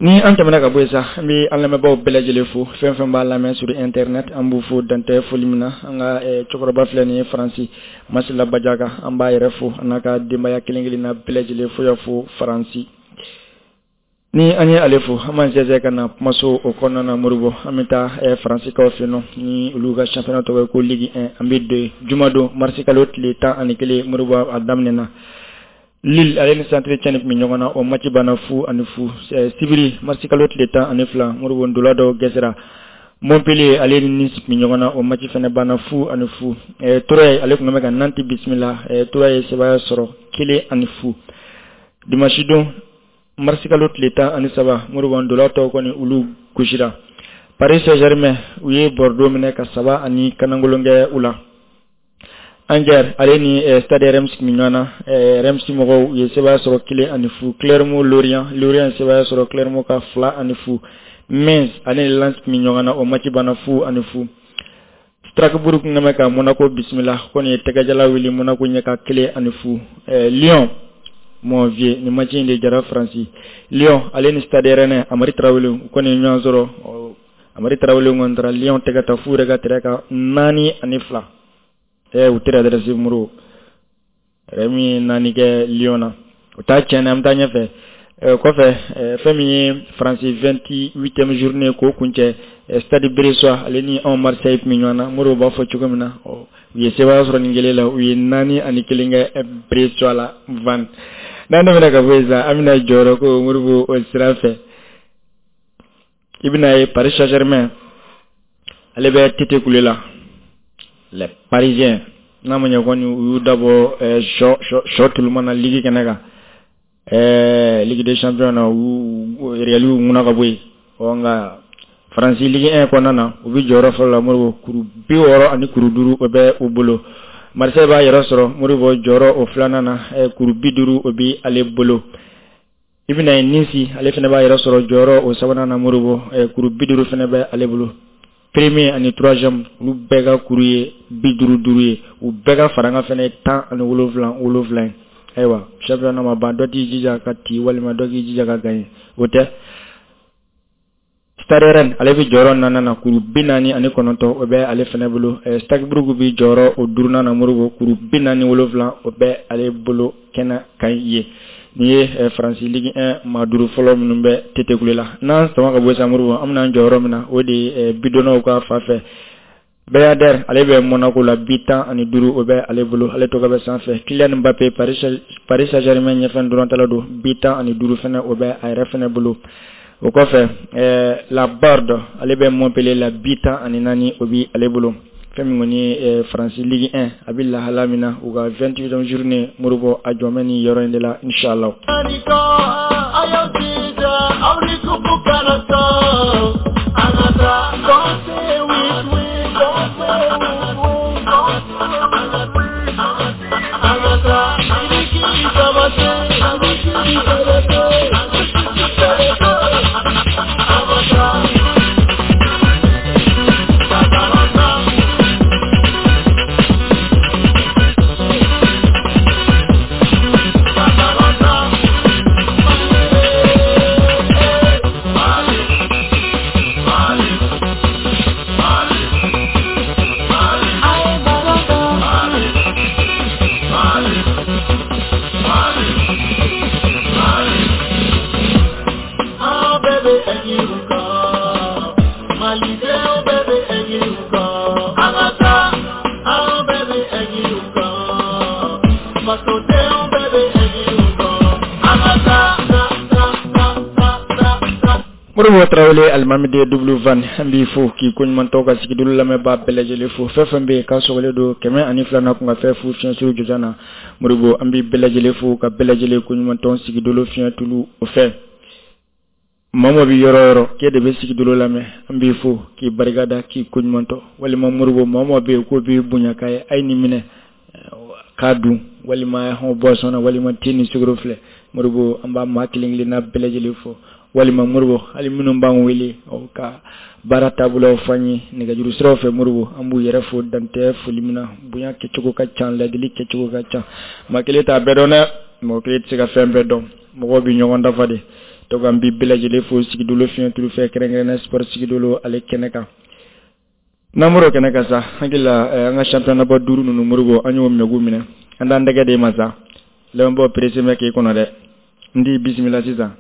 Ni an tɛmɛna ka bɔ yen sa, an bɛ an lamɛnbaaw bɛɛ lajɛlen fo, fɛn fɛn b'a lamɛn sur internet, an b'u fo dantɛ foli min na. An ka cɛkɔrɔba filɛ nin ye Faransi, Masila Bajaga, an b'a yɛrɛ fo a n'a ka denbaya kelen kelenna bɛɛ lajɛlen fo y'a fo Faransi. Ni an ye ale fo, an b'an sɛnsɛn ka na kumaso o kɔnɔna na. Moribo, an bɛ taa Faransikaw fɛ yen nɔ, ni olu ka championnat tɔgɔ ye ko Ligue un. An bɛ don jumadon, marisi kalo tile tan ani kelen. Moribo, a daminɛna, Lille ale ni Saint-Étienne tun bɛ ɲɔgɔn na, o match banna fu ani fu. Sibiri, marisi kalo tile tan ani fila, Moribo, ndola dɔw gɛsɛra. Montpellier ale ni Nice tun bɛ ɲɔgɔn na, o match fana banna fu ani fu. Troyes ale tun bɛ ka Nantes bisimila, Troyes ye sebaaya sɔrɔ kelen ani fu. Dimanche don, marisi kalo tile tan ani saba, Moribo, ndola tɔw kɔni olu gosira. Paris Saint-Germain u ye Bordeaux minɛ ka saba ani kanangolon kɛ u la. Angers ale ni Stade Reims tun bɛ ɲɔgɔn na, Reims mɔgɔw u ye sebaaya sɔrɔ kelen ani fu. Clermont Lorient, Lorient ye sebaaya sɔrɔ Clermont ka fila ani fu. Metz ale ni Lens tun bɛ ɲɔgɔn na, o match banna fu ani fu. Strasbourg tun bɛ ka Monaco bisimila, ko nin ye tɛgɛjala wuli Monaco ɲɛ ka kelen ani fu. Lyon, mon vieux, nin match in de jara Faransi. Lyon ale ni Stade Rennais, Amari Tarawele, u kɔni ye ɲɔgɔn sɔrɔ. Amari Tarawele kɔni taara Lyon tɛgɛ ta f'u yɛrɛ ka terrain kan naani ani fila. Ɛ, u tɛ adresse Moro yɛrɛ min ye naani kɛ Lyon na, o t'a tiɲɛ. An bɛ taa ɲɛfɛ kɔfɛ, fɛn min ye Faransi vingt-huitième journée k'o kuncɛ, Stade Brestois ale ni anw Marseille tun bɛ ɲɔgɔn na. Moro b'a fɔ cogo min na, u ye sebaaya sɔrɔ nin kelen la, u ye naani ani kelen kɛ Brestois la. Van n'an tɛmɛna ka bɔ yen sa, an bɛna jɔyɔrɔ ko Moribo o sira fɛ. I bɛna ye Paris Saint-Germain ale bɛ tete kule la, les Parisiens, n'a ma ɲɛ kɔni u y'u dabɔ sɔ sɔ tuluma na ligue kɛnɛ kan, ɛɛ Ligue des champions na, u Real y'u ŋuna ka bɔ yen. Ɔ nka Faransi Ligue un kɔnɔna na, u bɛ jɔyɔrɔ fɔlɔ la Moribo, kuru bi wɔɔrɔ ani kuru duuru o bɛ u bolo. Marseille b'a yɛrɛ sɔrɔ Moribo jɔyɔrɔ o filanan na, kuru bi duuru o bɛ ale bolo. I bɛna ye Nice ale fana b'a yɛrɛ sɔrɔ jɔyɔrɔ o sabanan na Moribo, kuru bi duuru fana bɛ ale bolo. Premier ani troisième, olu bɛɛ ka kuru ye bi duuru duuru ye, u bɛɛ ka farankan fana ye tan ani wolonwula wolonwula ye. Ayiwa, championnat ma ban, dɔ t'i jija ka ci walima dɔ k'i jija ka gagner, o tɛ. Stade Rennes ale bɛ jɔyɔrɔ naaninan na, kuru bi naani ani kɔnɔntɔn o bɛ ale fana bolo. Strasbourg bɛ jɔyɔrɔ o duurunan na Moribo, kuru bi naani wolonwula o bɛ ale bolo kɛnɛ kan ye. Nin ye Faransi Ligue un maa duuru fɔlɔ minnu bɛ tete kule la. N'an sama ka bɔ sisan Moribo, an bɛna an jɔyɔrɔ min na, o de ye bidonnaw ka fan fɛ. Bayader ale bɛ Monaco la, bi tan ani duuru o bɛ ale bolo, ale tɔgɔ bɛ sanfɛ. Kylian Mbappé, Paris Saint-Germain ɲɛfɛ dɔrɔntala don, bi tan ani duuru fana o bɛ a yɛrɛ fana bolo. O kɔfɛ, Laborde ale bɛ Montpellier la, bi tan ani naani o bɛ ale bolo. Fɛn min kɔni ye Faransi Ligue un, a bɛ lahala min na, u ka vingt-huitième journée Moribo, a jɔn bɛ nin yɔrɔ in de la inchallah. Moribo Tarawele, alimami de W van, an b'i fo k'i koɲuman tɔw ka sigidolo lamɛnbaa bɛɛ lajɛlen fo. Fɛn fɛn bɛ yen k'a sɔgɔlen don kɛmɛ ani fila na kun ka fɛn fu fiɲɛ suru jɔjan na, Moribo, an b'i bɛɛ lajɛlen fo ka bɛɛ lajɛlen koɲuman tɔn sigidolo fiɲɛ tulu o fɛ. Maa o maa bɛ yɔrɔ o yɔrɔ k'e de bɛ sigidolo lamɛn, an b'i fo k'i barikada k'i koɲuman tɔ. Walima Moribo, maa o maa bɛ yen k'o b'i bonya k'a ye, a ye nin minɛ k'a dun, walima hɔn boisson na, walima te ni sukaro filɛ, Moribo, an b'a maa kelen kelenna bɛɛ lajɛlen fo. Walima Moribo, hali minnu b'an wele ka baara taabolow fɔ an ye nɛgɛjuru siraw fɛ, Moribo, an b'u yɛrɛ fo dantɛ foli min na. Bonya kɛcogo ka ca, ladili kɛcogo ka ca, maa kelen t'a bɛɛ dɔn dɛ, mɔgɔ kelen tɛ se ka fɛn bɛɛ dɔn, mɔgɔw bɛ ɲɔgɔn dafa de. Donc an bɛ bɛɛ lajɛlen fo sigidolo fiɲɛ tulu fɛ, kɛrɛnkɛrɛnnenya sport sigidolo ale kɛnɛ kan. N'an bɔra o kɛnɛ kan sa, hakili la an ka championnat ba duuru ninnu Moribo, an y'o minɛ k'u minɛ, an t'an tɛgɛ d'e ma sa. Lamɛnbaaw pressé bɛ k'i kɔnɔ dɛ, n t'i bisimila sisan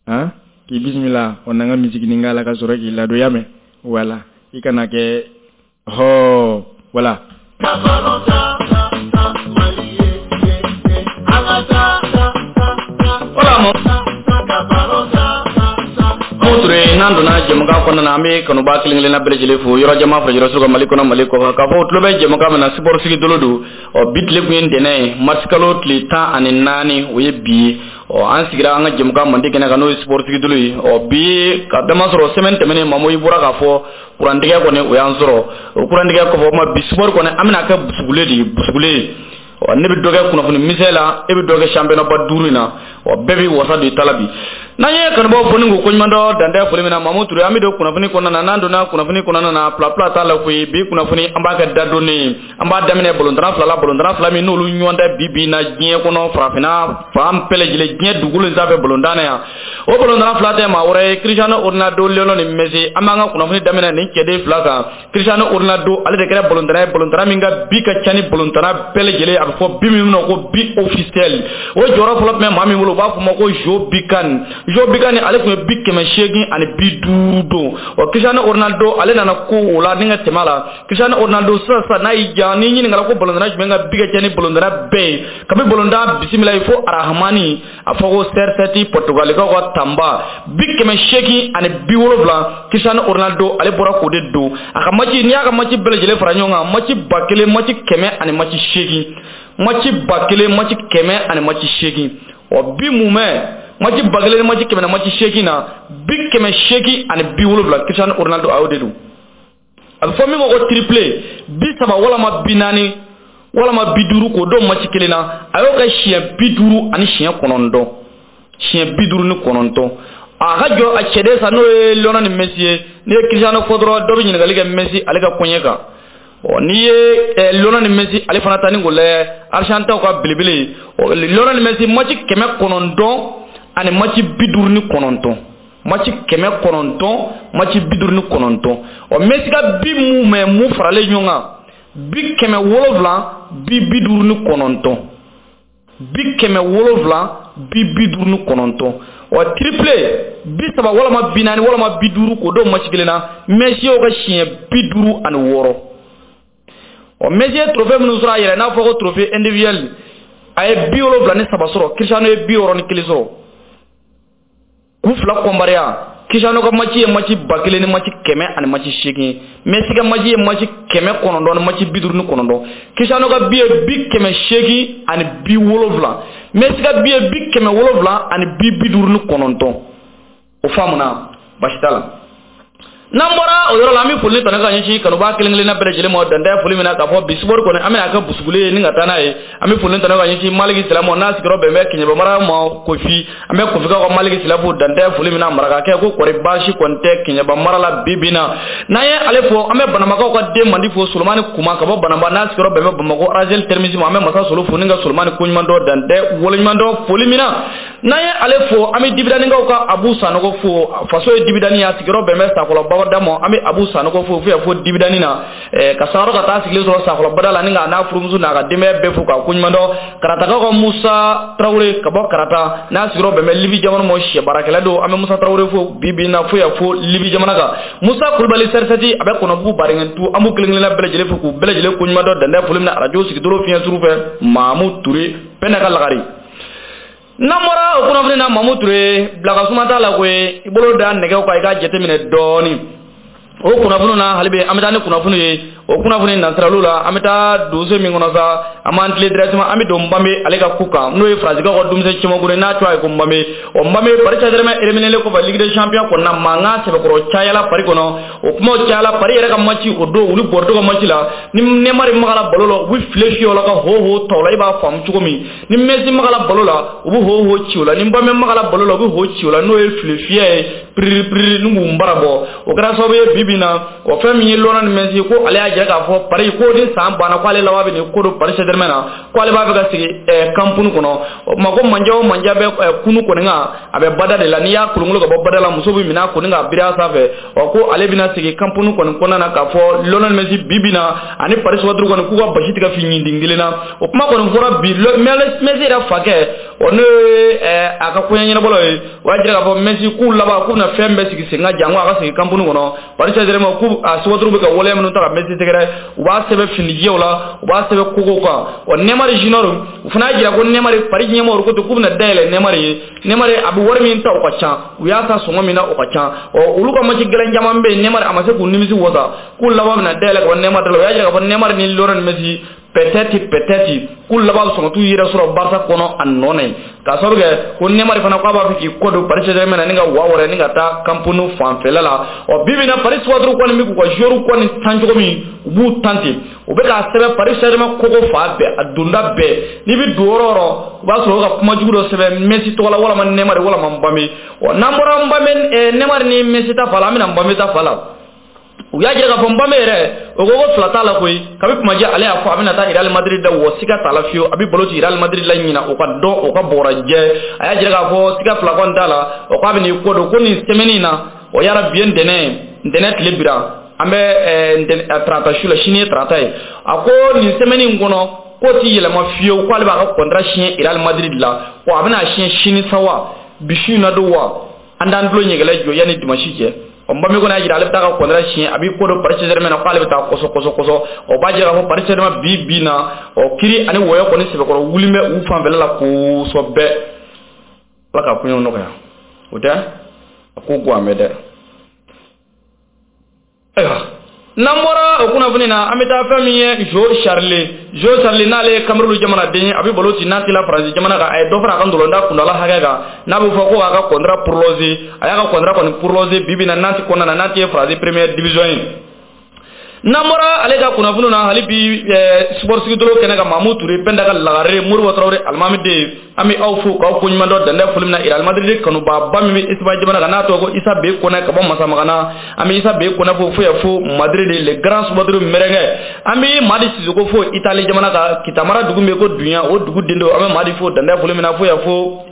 han. K'i bisimila o n'an ka musique nin k'a la ka sɔrɔ k'i ladon, y'a mɛn? Voilà, i kana kɛ hɔ, voilà. Voilà. Ture n'an donna jɛmukan kɔnɔna na, an bɛ kanuba kelen kelenna bɛɛ lajɛlen fo yɔrɔ jama fara yɔrɔ sugu Mali kɔnɔ, Mali kɔkan, k'a fɔ tulo bɛ jɛmukan min na, sport sigi dolo don. Ɔ bi tile kun ye ntɛnɛn ye, mars kalo tile tan ani naani, o ye bi ye. Ɔ an sigira an ka jɛmukan mandi kɛnɛ kan, n'o ye sport sigi dolo ye. Ɔ bi ka dama sɔrɔ semaine tɛmɛnen, Mamu i bɔra k'a fɔ kurantigɛ kɔni o y'an sɔrɔ. O kurantigɛ kɔfɛ, o ma bi sport kɔni an bɛna kɛ busugule de ye, busugule. Ɔ ne bɛ dɔ kɛ kunnafoni misɛn la, e bɛ dɔ kɛ championnat ba duuru in na. Ɔ bɛɛ b'i wasa don i ta la bi. N'an ye kanubaw fo ni k'u koɲuman dɔn dantɛ foli min na, Mamu Ture, an bɛ don kunnafoni kɔnɔna na. N'an donna kunnafoni kɔnɔna na, pila pila t'a la koyi. Bi kunnafoni an b'a kɛ dadonni ye. An b'a daminɛ balontanna fila la, balontanna fila min n'olu ɲɔgɔn tɛ bi bi in na diɲɛ kɔnɔ, farafinna fan bɛɛ lajɛlen, diɲɛ dugukolo in sanfɛ balontan na yan. O balontanna fila tɛ maa wɛrɛ ye, Cristiano Ronaldo, Lionel Messi. An b'an ka kunnafoni daminɛ nin cɛden fila kan. Cristiano Ronaldo, ale de kɛra balontanna ye, balontanna min ka bi ka ca ni balontanna bɛɛ lajɛlen, a bɛ fɔ bi min ma ko bi officiel. O jɔyɔrɔ fɔlɔ tun bɛ maa min bolo, u b'a fɔ o ma ko Joe Bican. Joe Bican ale tun ye bi kɛmɛ seegin ani bi duuru don. Ɔ Cristiano Ronaldo ale nana ko o la ni ka tɛmɛ a la. Cristiano Ronaldo sisan sisan n'a y'i ja, n'i ɲininkara ko balontanna jumɛn ka bi ka ca ni balontanna bɛɛ ye, kabi balontan bisimila ye fo Arahamani, a fɔ ko C R sept Portugalikaw ka tanba, bi kɛmɛ seegin ani bi wolonwula, Cristiano Ronaldo ale bɔra k'o de don. A ka match, n'i y'a ka match bɛɛ lajɛlen fara ɲɔgɔn kan, match ba kelen, match kɛmɛ ani match seegin, match ba kelen, match kɛmɛ ani match seegin. Ɔ bi mumɛ match ba kelen ni match kɛmɛ ni match seegin na, bi kɛmɛ seegin ani bi wolonwula, Cristiano Ronaldo a y'o de don. A bɛ fɔ min ma ko triplé, bi saba walama bi naani walama bi duuru k'o don match kelen na, a y'o kɛ siɲɛ bi duuru ani siɲɛ kɔnɔntɔn, siɲɛ bi duuru ni kɔnɔntɔn. A ka jɔ a cɛden sa, n'o ye Lionel Messi ye. N'i ye Cristiano fɔ dɔrɔn, dɔ bɛ ɲininkali kɛ Messi ale ka koɲɛ kan. Ɔ n'i ye Lionel Messi ale fana ta ni k'o lajɛ, Argentinaw ka belebele, ɔ Lionel Messi match kɛmɛ kɔnɔntɔn ani match bi duuru ni kɔnɔntɔn, match kɛmɛ kɔnɔntɔn, match bi duuru ni kɔnɔntɔn. Ɔ Messi ka bi mun mɛ mun faralen ɲɔgɔn kan, bi kɛmɛ wolonwula, bi bi duuru ni kɔnɔntɔn, bi kɛmɛ wolonwula, bi bi duuru ni kɔnɔntɔn. Ɔ triplé bi saba walama bi naani walama bi duuru k'o don match kelen na, Messi y'o kɛ siɲɛ bi duuru ani wɔɔrɔ. Ɔ Messi ye trophée minnu sɔrɔ a yɛrɛ, n'a fɔ ko trophée individuel, a ye bi wolonwula ni saba sɔrɔ, Cristiano ye bi wɔɔrɔ ni kelen sɔrɔ. K'u fila kɔnbariya, Cristiano ka match ye match ba kelen ni match kɛmɛ ani match seegin, Messi ka match ye match kɛmɛ kɔnɔntɔn ni match bi duuru ni kɔnɔntɔn. Cristiano ka bi ye bi kɛmɛ seegin ani bi wolonwula, Messi ka bi ye bi kɛmɛ wolonwula ani bi bi duuru ni kɔnɔntɔn. O faamuna, baasi t'a la. N'an bɔra o yɔrɔ la, an bɛ foli ni tanu ka ɲɛsin kanubaa kelen kelenna bɛɛ lajɛlen ma dantɛ foli min na, k'a fɔ bi sport kɔni an bɛna kɛ busugule ye ni ka taa n'a ye. An bɛ foli ni tanu ka ɲɛsin Maliki Sila ma, n'a sigiyɔrɔ bɛn bɛ Kɛɲɛba mara ma Kofi. An bɛ Kofikaw ka Maliki Sila fo dantɛ foli min na, marakakɛ ko kɔri baasi kɔni tɛ Kɛɲɛba mara la bi bi in na. N'an ye ale fo, an bɛ Banamakaw ka den mandi fo, Solomani Kuma ka bɔ Banamba, n'a sigiyɔrɔ bɛn bɛ Bamakɔ Arazel Termisi ma. An bɛ Masa Solo fo ni ka Solomani koɲuman dɔn dantɛ waleɲuman dɔn foli min na. N'an ye ale fo, an bɛ Dibidanikaw ka Abu Sanogo fo, faso ye Dibidani ye, a sigiyɔrɔ bɛn bɛ Sakɔlɔ Baba ma. An bɛ Abu Sanogo fo fo fo Dibidani na, ka sangaro ka taa sigilen sɔrɔ Sakɔlɔbada la, ni k'a n'a furumuso n'a ka denbaya bɛɛ fo k'a koɲuman dɔn. Karatakaw ka Musa Tarawele ka bɔ Karata, n'a sigiyɔrɔ bɛn bɛ Libi jamana ma, sɛ baarakɛla don. An bɛ Musa Tarawele fo bi bi in na fo yan fo Libi jamana kan. Musa Kulubali Sɛrisɛti, a bɛ Kɔnɔbugu Baringɛntu. An b'u kelen kelenna bɛɛ lajɛlen fo k'u bɛɛ lajɛlen koɲuman dɔn dantɛ foli min na arajo sigidoro fiɲɛ suru fɛ, Mamu Ture Pɛnɛ ka lagare. N'an bɔra o kunnafoni na, Mamu Ture, bila ka suma t'a la koyi, i bolo da nɛgɛw kan i k'a jateminɛ dɔɔnin. O kunnafoni na hali bi an bɛ taa ni kunnafoni ye. O kunnafoni nasiraliw la, an bɛ taa donso min kɔnɔ sa, an b'an tilen directement, an bɛ don Mbappe ale ka ku kan, n'o ye Faransikaw ka denmisɛn cɛmankuru ye, n'a tɔgɔ ye ko Mbappe. Ɔ Mbappe, Paris Saint-Germain éliminé kɔfɛ Ligue des Champions kɔnɔna, mankan sɛbɛkɔrɔ cayala Paris kɔnɔ. O kumaw cayala Paris yɛrɛ ka match o don, olu Bordeaux ka match la, ni Neymar magara ballon la, u bɛ file fiyɛ o la ka ho ho ta o la, i b'a faamu cogo min. Ni Messi magara ballon la, u bɛ ho ho ci o la. Ni Mbappe magara ballon la, u bɛ ho ci o la, n'o ye file fiyɛ ye. piriri piriri ni k'u bara bɔ. O kɛra sababu ye bi bi in na o fɛn min ye Lionel Messi ko ale y'a jira k'a fɔ Paris ko ni san banna ko ale laban bɛ nin ko don Paris Saint-Germain na ko ale b'a fɛ ka sigi Camp Nou kɔnɔ. O tuma ko manja o manja bɛ kunu kɔni kan a bɛ bada de la, n'i y'a kolonkolon ka bɔ bada la muso bɛ minɛ a kɔni k'a biri a sanfɛ. Ɔ ko ale bɛna sigi Camp Nou kɔni kɔnɔna na k'a fɔ Lionel Messi bi bi in na ani Paris supporter kɔni k'u ka basi tigɛ fi ɲindin kelen na. O kuma kɔni fɔra bi Messi yɛrɛ fakɛ o n'o ye a ka koɲɛ ɲɛnabɔlaw ye, o y'a jira k'a fɔ Messi k'u laban k'u bɛna fɛn bɛɛ sigi sen kan janko a ka sigi Camp Nou kɔnɔ. Paris Saint-Germain k'u a supporter bɛ ka waleya minnu ta ka Messi sɛgɛrɛ, u b'a sɛbɛn finijɛw la, u b'a sɛbɛn kogow kan. Ɔ Neymar Junior u fana y'a jira ko Neymar Paris ɲɛmɔgɔw ko ten k'u bɛna dayɛlɛ Neymar ye. Neymar a bɛ wari min ta o ka ca, u y'a ta sɔngɔ min na o ka ca. Ɔ olu ka match gɛlɛn caman bɛ yen Neymar a ma se k'u nimisi wasa, k'u laban bɛna dayɛlɛ ka bɔ Neymar da la. O y'a jira k'a fɔ Neymar ni Lionel Messi peut-être peut-être k'u laban bɛ sɔn ka t'u yɛrɛ sɔrɔ Barca kɔnɔ a nɔ na yen, k'a sababu kɛ ko Neymar fana k'a b'a fɛ k'i kɔ don Paris Saint-Germain na ni ka wa wɛrɛ ni ka taa Camp Nou fanfɛla la. Ɔ bi bi in na Paris supporter kɔni bɛ k'u ka joueur kɔni tan cogo min u b'u tan ten, u bɛ k'a sɛbɛn Paris Saint-Germain kogo fan bɛɛ a donda bɛɛ, n'i bɛ don yɔrɔ o yɔrɔ u b'a sɔrɔ u ka kuma jugu dɔ sɛbɛn Messi tɔgɔ la walama Neymar walama Mbappé. Ɔ n'an bɔra Mbappé Neymar ni Messi ta fa la, an bɛna Mbappé ta fa la. U y'a jira k'a fɔ Mbappé yɛrɛ o ko ko fila t'a la koyi, kabi kumajɛ ale y'a fɔ a bɛna taa Real Madrid da wa siga t'a la fiyewu, a bɛ balo ci Real Madrid la ɲina o ka dɔn o ka bɔra jɛ. A y'a jira k'a fɔ siga fila kɔni t'a la, o k'a bɛ n'i kɔ don ko nin semaine in na o yara bi ye ntɛnɛn ntɛnɛn tile bira an bɛ tarata su la, sini ye tarata ye, a ko nin semaine in kɔnɔ k'o ti yɛlɛma fiyewu, k'ale b'a ka contrat signer Real Madrid la, wa a bɛna signer sini sa wa bi su in na don wa an t'an tulo ɲɛgɛlɛ jɔ yanni dimanche cɛ. Ɔ Mbappé kɔni y'a jira ale bɛ taa ka contrat signer, a b'i ko don Paris Saint-Germain na k'ale bɛ taa kɔsɔ kɔsɔ kɔsɔ. O b'a jira k'a fɔ Paris Saint-Germain bi bi na ɔ kiri ani wɔyɔ kɔni sɛbɛkɔrɔ wuli bɛ u fanfɛla la kosɛbɛ. Ala ka koɲɛw nɔgɔya, o tɛ a ko go an bɛ dɛ. Ayiwa n'an bɔra o kunnafoni na, an bɛ taa fɛn min ye Jo Charlie. Jo Charlie n'ale ye Cameroun jamanaden ye, a bɛ balo ci Nantes la Faransi jamana kan. A ye dɔ fara a ka ndolantan kundala hakɛ kan, n'a bɛ fɔ ko a ka contrat prolongé. A y'a ka contrat kɔni prolongé bi bi in na Nantes kɔnɔna na, Nantes ye Faransi première division ye. N'an bɔra ale ka kunnafoniw na hali bi sport sigidolo kɛnɛ kan, Mamu Ture Penda ka lagare Moribo Traoré alimami den, an bɛ aw fo k'aw koɲuman dɔn dantɛ foli min na Real Madrid kanubaaba min bɛ Espagne jamana kan n'a tɔgɔ ko Isa B Kɔnɛ ka bɔ Masamagana, an bɛ Isa B Kɔnɛ fo fo yan fo Madrid le grand supporter merengue. An bɛ Madi Sissoko fo Italie jamana kan, Kitamara dugu min bɛ ko Dunya o dugu den don, an bɛ Madi fo dantɛ foli min na fo yan fo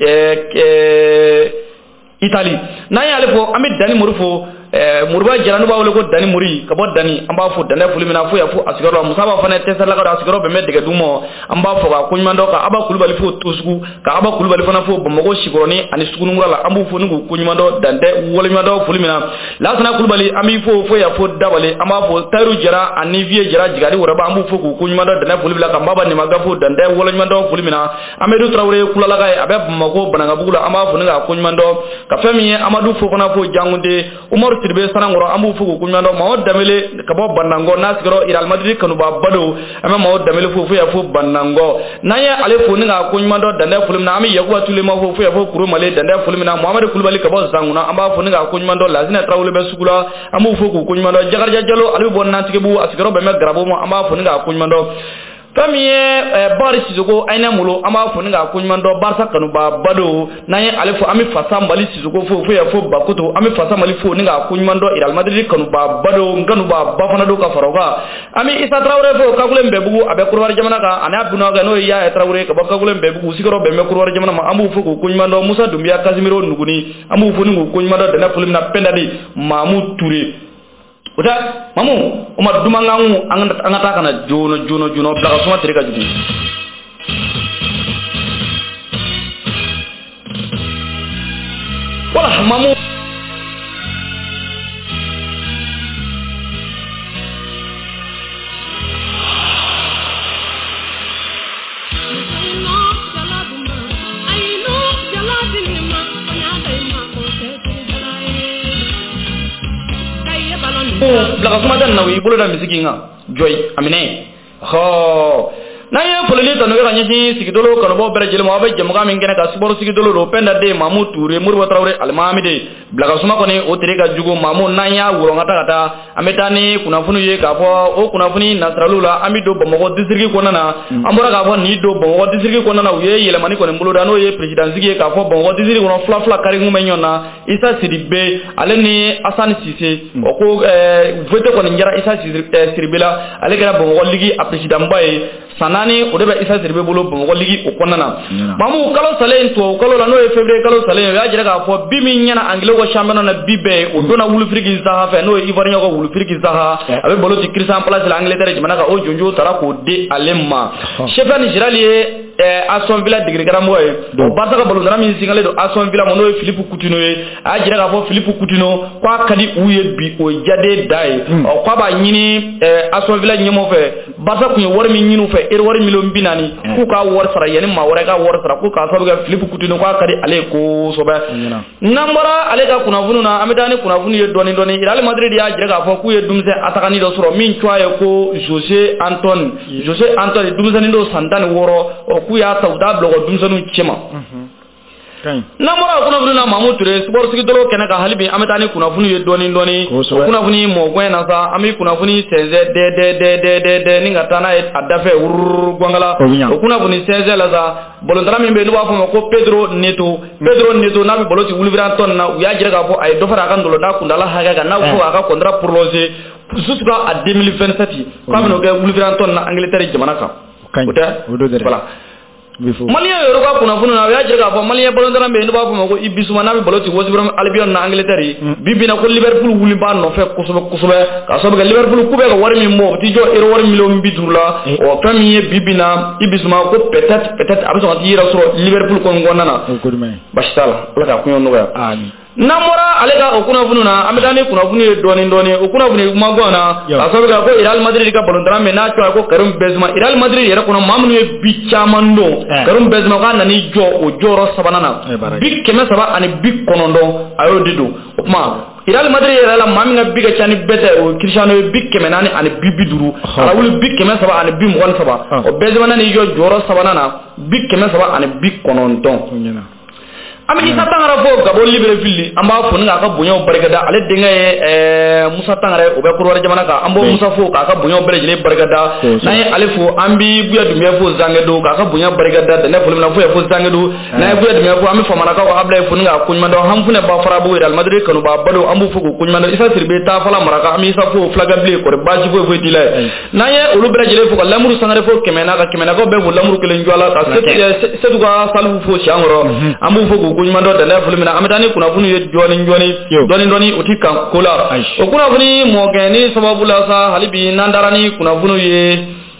Italie. N'an y'ale fo, an bɛ Dani Mori fo, Moriba Jara n'u b'a wele ko Dani Mori ka bɔ Dani, an b'a fo dantɛ foli min na fo yan fo a sigiyɔrɔ la. Musa b'a fana Tɛsɛlaka don, a sigiyɔrɔ bɛn bɛ Dɛgɛduguma, an b'a fɔ k'a koɲuman dɔn, ka Aba Kulubali fo Tosugu, ka Aba Kulubali fana fo Bamakɔ Sikɔrɔni ani Sugunikura la, an b'u fo ni k'u koɲuman dɔn dantɛ waleɲuman dɔn foli min na. Lasana Kulubali an b'i fo fo yan fo Dabale, an b'a fo Tayiru Jara ani Viye Jara Jigadi Wɛrɛba, an b'u fo k'u koɲuman dɔn dantɛ foli min na, ka Maba Nimaga fo dantɛ waleɲuman dɔn foli min na. Amadu Tarawele Kulalaka ye, a bɛ Bamakɔ Banankabugu la, an b'a fo ni k'a koɲuman dɔn. Ka fɛn min ye Amadu Fofana fo Jangunde, Umaru Sidibe Sanankɔrɔ, an b'u fo k'u koɲuman dɔn. Mɔgɔ Danbele ka bɔ Banangɔ n'a sigiyɔrɔ Real Madrid kanubaaba don, an bɛ Mɔgɔ Danbele fo fo yan fo Banangɔ. N'an ye ale fo ni k'a koɲuman dɔn dantɛ foli min na, an bɛ Yakuba Tulema fo fo yan fo Kurumale dantɛ foli min na. Mohamɛdi Kulubali ka bɔ Zanguna, an b'a fo ni k'a koɲuman dɔn. Lasinɛ Tarawele bɛ sugu la, an b'u fo k'u koɲuman dɔn. Jakarija Jalo ale bɛ bɔ Nantigibugu, a sigiyɔrɔ bɛn bɛ Garabo ma, an b'a fo ni k'a koɲuman dɔn. Fɛn min ye Bakari Sissoko Ayinɛ Molo, an b'a fo ni k'a koɲuman dɔn, Barca kanubaaba don. N'an ye ale fo, an bɛ Fasa Mali Sissoko fo fo yan fo Bakoto, an bɛ Fasa Mali fo ni k'a koɲuman dɔn, Real Madrid kanubaaba don, n kanubaaba fana don ka fara o kan. An bɛ Isa Tarawele fo Kakule Nbɛbugu, a bɛ Korowari jamana kan, ani a dunakɛ n'o ye Yaya Tarawele ka bɔ Kakule Nbɛbugu, sigiyɔrɔ bɛn bɛ Korowari jamana ma, an b'u fo k'u koɲuman dɔn. Musa Dunbiya Casimiro Nuguni, an b'u fo ni k'u koɲuman dɔn dantɛ foli min na. Pɛndali Mamu Ture, o tɛ Mamu o ma dumankan an ka taa ka na joona joona joona bila ka suma tere ka jugu. Wala Mamu bila ka suma da na i bolo da misiki kan jɔyi a minɛ hɔ. N'an ye folili tanu kɛ ka ɲɛsin sigidolo kanubaw bɛɛ lajɛlen ma, aw bɛ jɛmukan min kɛnɛ kan sport sigidolo don, Penda Den Mamu Ture Moribo Traoré Alimamide Bilakasuma kɔni o tere ka jugu Mamu. N'an y'a wɔrɔ ka taa ka taa, an bɛ taa ni kunnafoni ye k'a fɔ o kunnafoni nasiraliw la, an bɛ don Bamakɔ district kɔnɔna na. An bɔra k'a fɔ nin don Bamakɔ district kɔnɔna na, u ye yɛlɛmani kɔni boloda, n'o ye président sigi ye k'a fɔ Bamakɔ district kɔnɔ fila fila kari kun bɛ ɲɔgɔn na, Isa Sidibe ale ni Asani Sise. O ko vote kɔni jara Isa Sidibe la, ale kɛra Bamakɔ ligue a président ba ye. San naani o de bɛ Isa Sidibe bolo Bamakɔ ligue o kɔnɔna na. Mamu, kalo salen tubabu kalo la, n'o ye février kalo salen ye, o y'a jira k'a fɔ bi min ɲɛna anglais ka championnat na bi bɛɛ, o donna Wilfried Zaha fɛ, n'o ye Ivoirien ka Wilfried Zaha, a bɛ balo ci Crystal Palace la Angleterre jamana kan, o jonjo taara k'o di ale ma. Steven Gerrard ye Aston Villa degeli karamɔgɔ ye. O Barca ka balontanna min singalen don Aston Villa ma, n'o ye Philippe Coutinho ye, a y'a jira k'a fɔ Philippe Coutinho k'a ka di u ye bi, o ye jaden da ye. Ɔ k'a b'a ɲini Aston Villa ɲɛmɔgɔ fɛ, Barca tun ye wari min ɲini u fɛ, euro wari miliyɔn bi naani, k'u k'a wari sara yanni maa wɛrɛ ka wari sara, ko k'a sababu kɛ Philippe Coutinho k'a ka di ale ye kosɛbɛ. N'an bɔra ale ka kunnafoniw na, an bɛ taa ni kunnafoni ye dɔɔni dɔɔni. Real Madrid y'a jira k'a fɔ k'u ye denmisɛn atakani dɔ sɔrɔ min tɔgɔ ye ko Jose Antoine. Jose Antoine, denmisɛnnin dɔ san tan ni wɔɔrɔ, ɔ k'u y'a ta u t'a bila u ka denmisɛnninw cɛma. N'an bɔra o kunnafoni na, Mamu Ture, sport sigidolo kɛnɛ kan hali bi, an bɛ taa ni kunnafoni ye dɔɔni dɔɔni. O kunnafoni mɔgɔn na sa, an bɛ kunnafoni sɛnsɛn dɛ dɛ dɛ dɛ dɛ dɛ ni ka taa n'a ye a dafɛ wururu gangala. O kunnafoni sɛnsɛn la sa, balontanna min bɛ yen n'u b'a fɔ a ma ko Pedro Neto, Pedro Neto n'a bɛ balo ci Wolverhampton na, u y'a jira k'a fɔ a ye dɔ fara a ka ndolantan kuntaala hakɛ kan, n'a bɛ fɔ a ka contrat prolongé jusqu'à deux mille vingt-sept, k'a bɛn'o kɛ Wolverhampton na Angleterre jamana kan. O tɛ voilà. Malien yɛrɛ ka kunnafoni na, o y'a jira k'a fɔ Malien balontanna bɛ yen n'u b'a fɔ ma ko Ibisuma, n'a bɛ balo ci West Brom Albion na Angleterre, bi bi in na ko Liverpool wuli b'a nɔfɛ kosɛbɛ kosɛbɛ, k'a sababu kɛ Liverpool k'u bɛ ka wari min bɔ, o t'i jɔ euro wari miliyɔn bi duuru la. Ɔ fɛn min ye bi bi in na Ibisuma ko peut-être peut-être a bɛ sɔn ka t'i yɛrɛ sɔrɔ Liverpool kɔni kɔnɔna na. Basi t'a la, Ala k'a koɲɛ nɔgɔya. N'an bɔra ale ka o kunnafoni na, an bɛ taa ni kunnafoni ye dɔɔni dɔɔni. O kunnafoni kuma gan na, k'a sababu kɛ ko Real Madrid ka balontanna min n'a tɔgɔ ye ko Karim Benzema, Real Madrid yɛrɛ kɔnɔ maa minnu ye bi caman don, Karim Benzema k'a nan'i jɔ o jɔyɔrɔ sabanan na, bi kɛmɛ saba ani bi kɔnɔntɔn a y'o de don. O tuma Real Madrid yɛrɛ la, maa min ka bi ka ca ni bɛɛ ta ye, o ye Cristiano ye, bi kɛmɛ naani ani bi bi duuru, Raoul bi kɛmɛ saba ani bi mugan ni saba, o Benzema nan'i jɔ jɔyɔrɔ sabanan na, bi kɛmɛ saba ani bi kɔnɔntɔn. An bɛ Isa Tangara fo Gabon Libreville, an b'a fo ni k'a ka bonyaw barikada. Ale denkɛ ye Musa Tangara ye, o bɛ Kɔdiwari jamana kan, an b'o Musa fo k'a ka bonyaw bɛɛ lajɛlen barikada. N'an ye ale fo, an bɛ Buya Dunbiya fo Zangedo k'a ka bonya barikada, dɛnɛ foli min na fo ye fo Zangedo. N'an ye Buya Dunbiya fo, an bɛ Famanakaw ka Abulaye fo ni k'a koɲuman dɔn. Hanfunɛ Bafarabugu Real Madrid kanuba balo, an b'u fo k'u koɲuman dɔn. Isa Sidibe Tafala Maraka, an bɛ Isa fo Fulakɛbilen, kɔri baasi foyi foyi t'i la ye. N'an ye olu bɛɛ lajɛlen fo ka Lamuru Sangare fo Kɛmɛna, ka Kɛmɛnakaw bɛɛ fo Lamuru kelen jɔ la, ka Setu ka Salifu fo Siyankɔrɔ, an b'u fo k'u koɲuman dɔn dɛnɛ foli min na. An bɛ taa ni kunnafoni ye dɔɔni dɔɔni dɔɔni dɔɔni, o ti kan ko la. O kunnafoni mɔkɛ ni sababu la sa, hali bi n'an taara ni kunnafoni ye,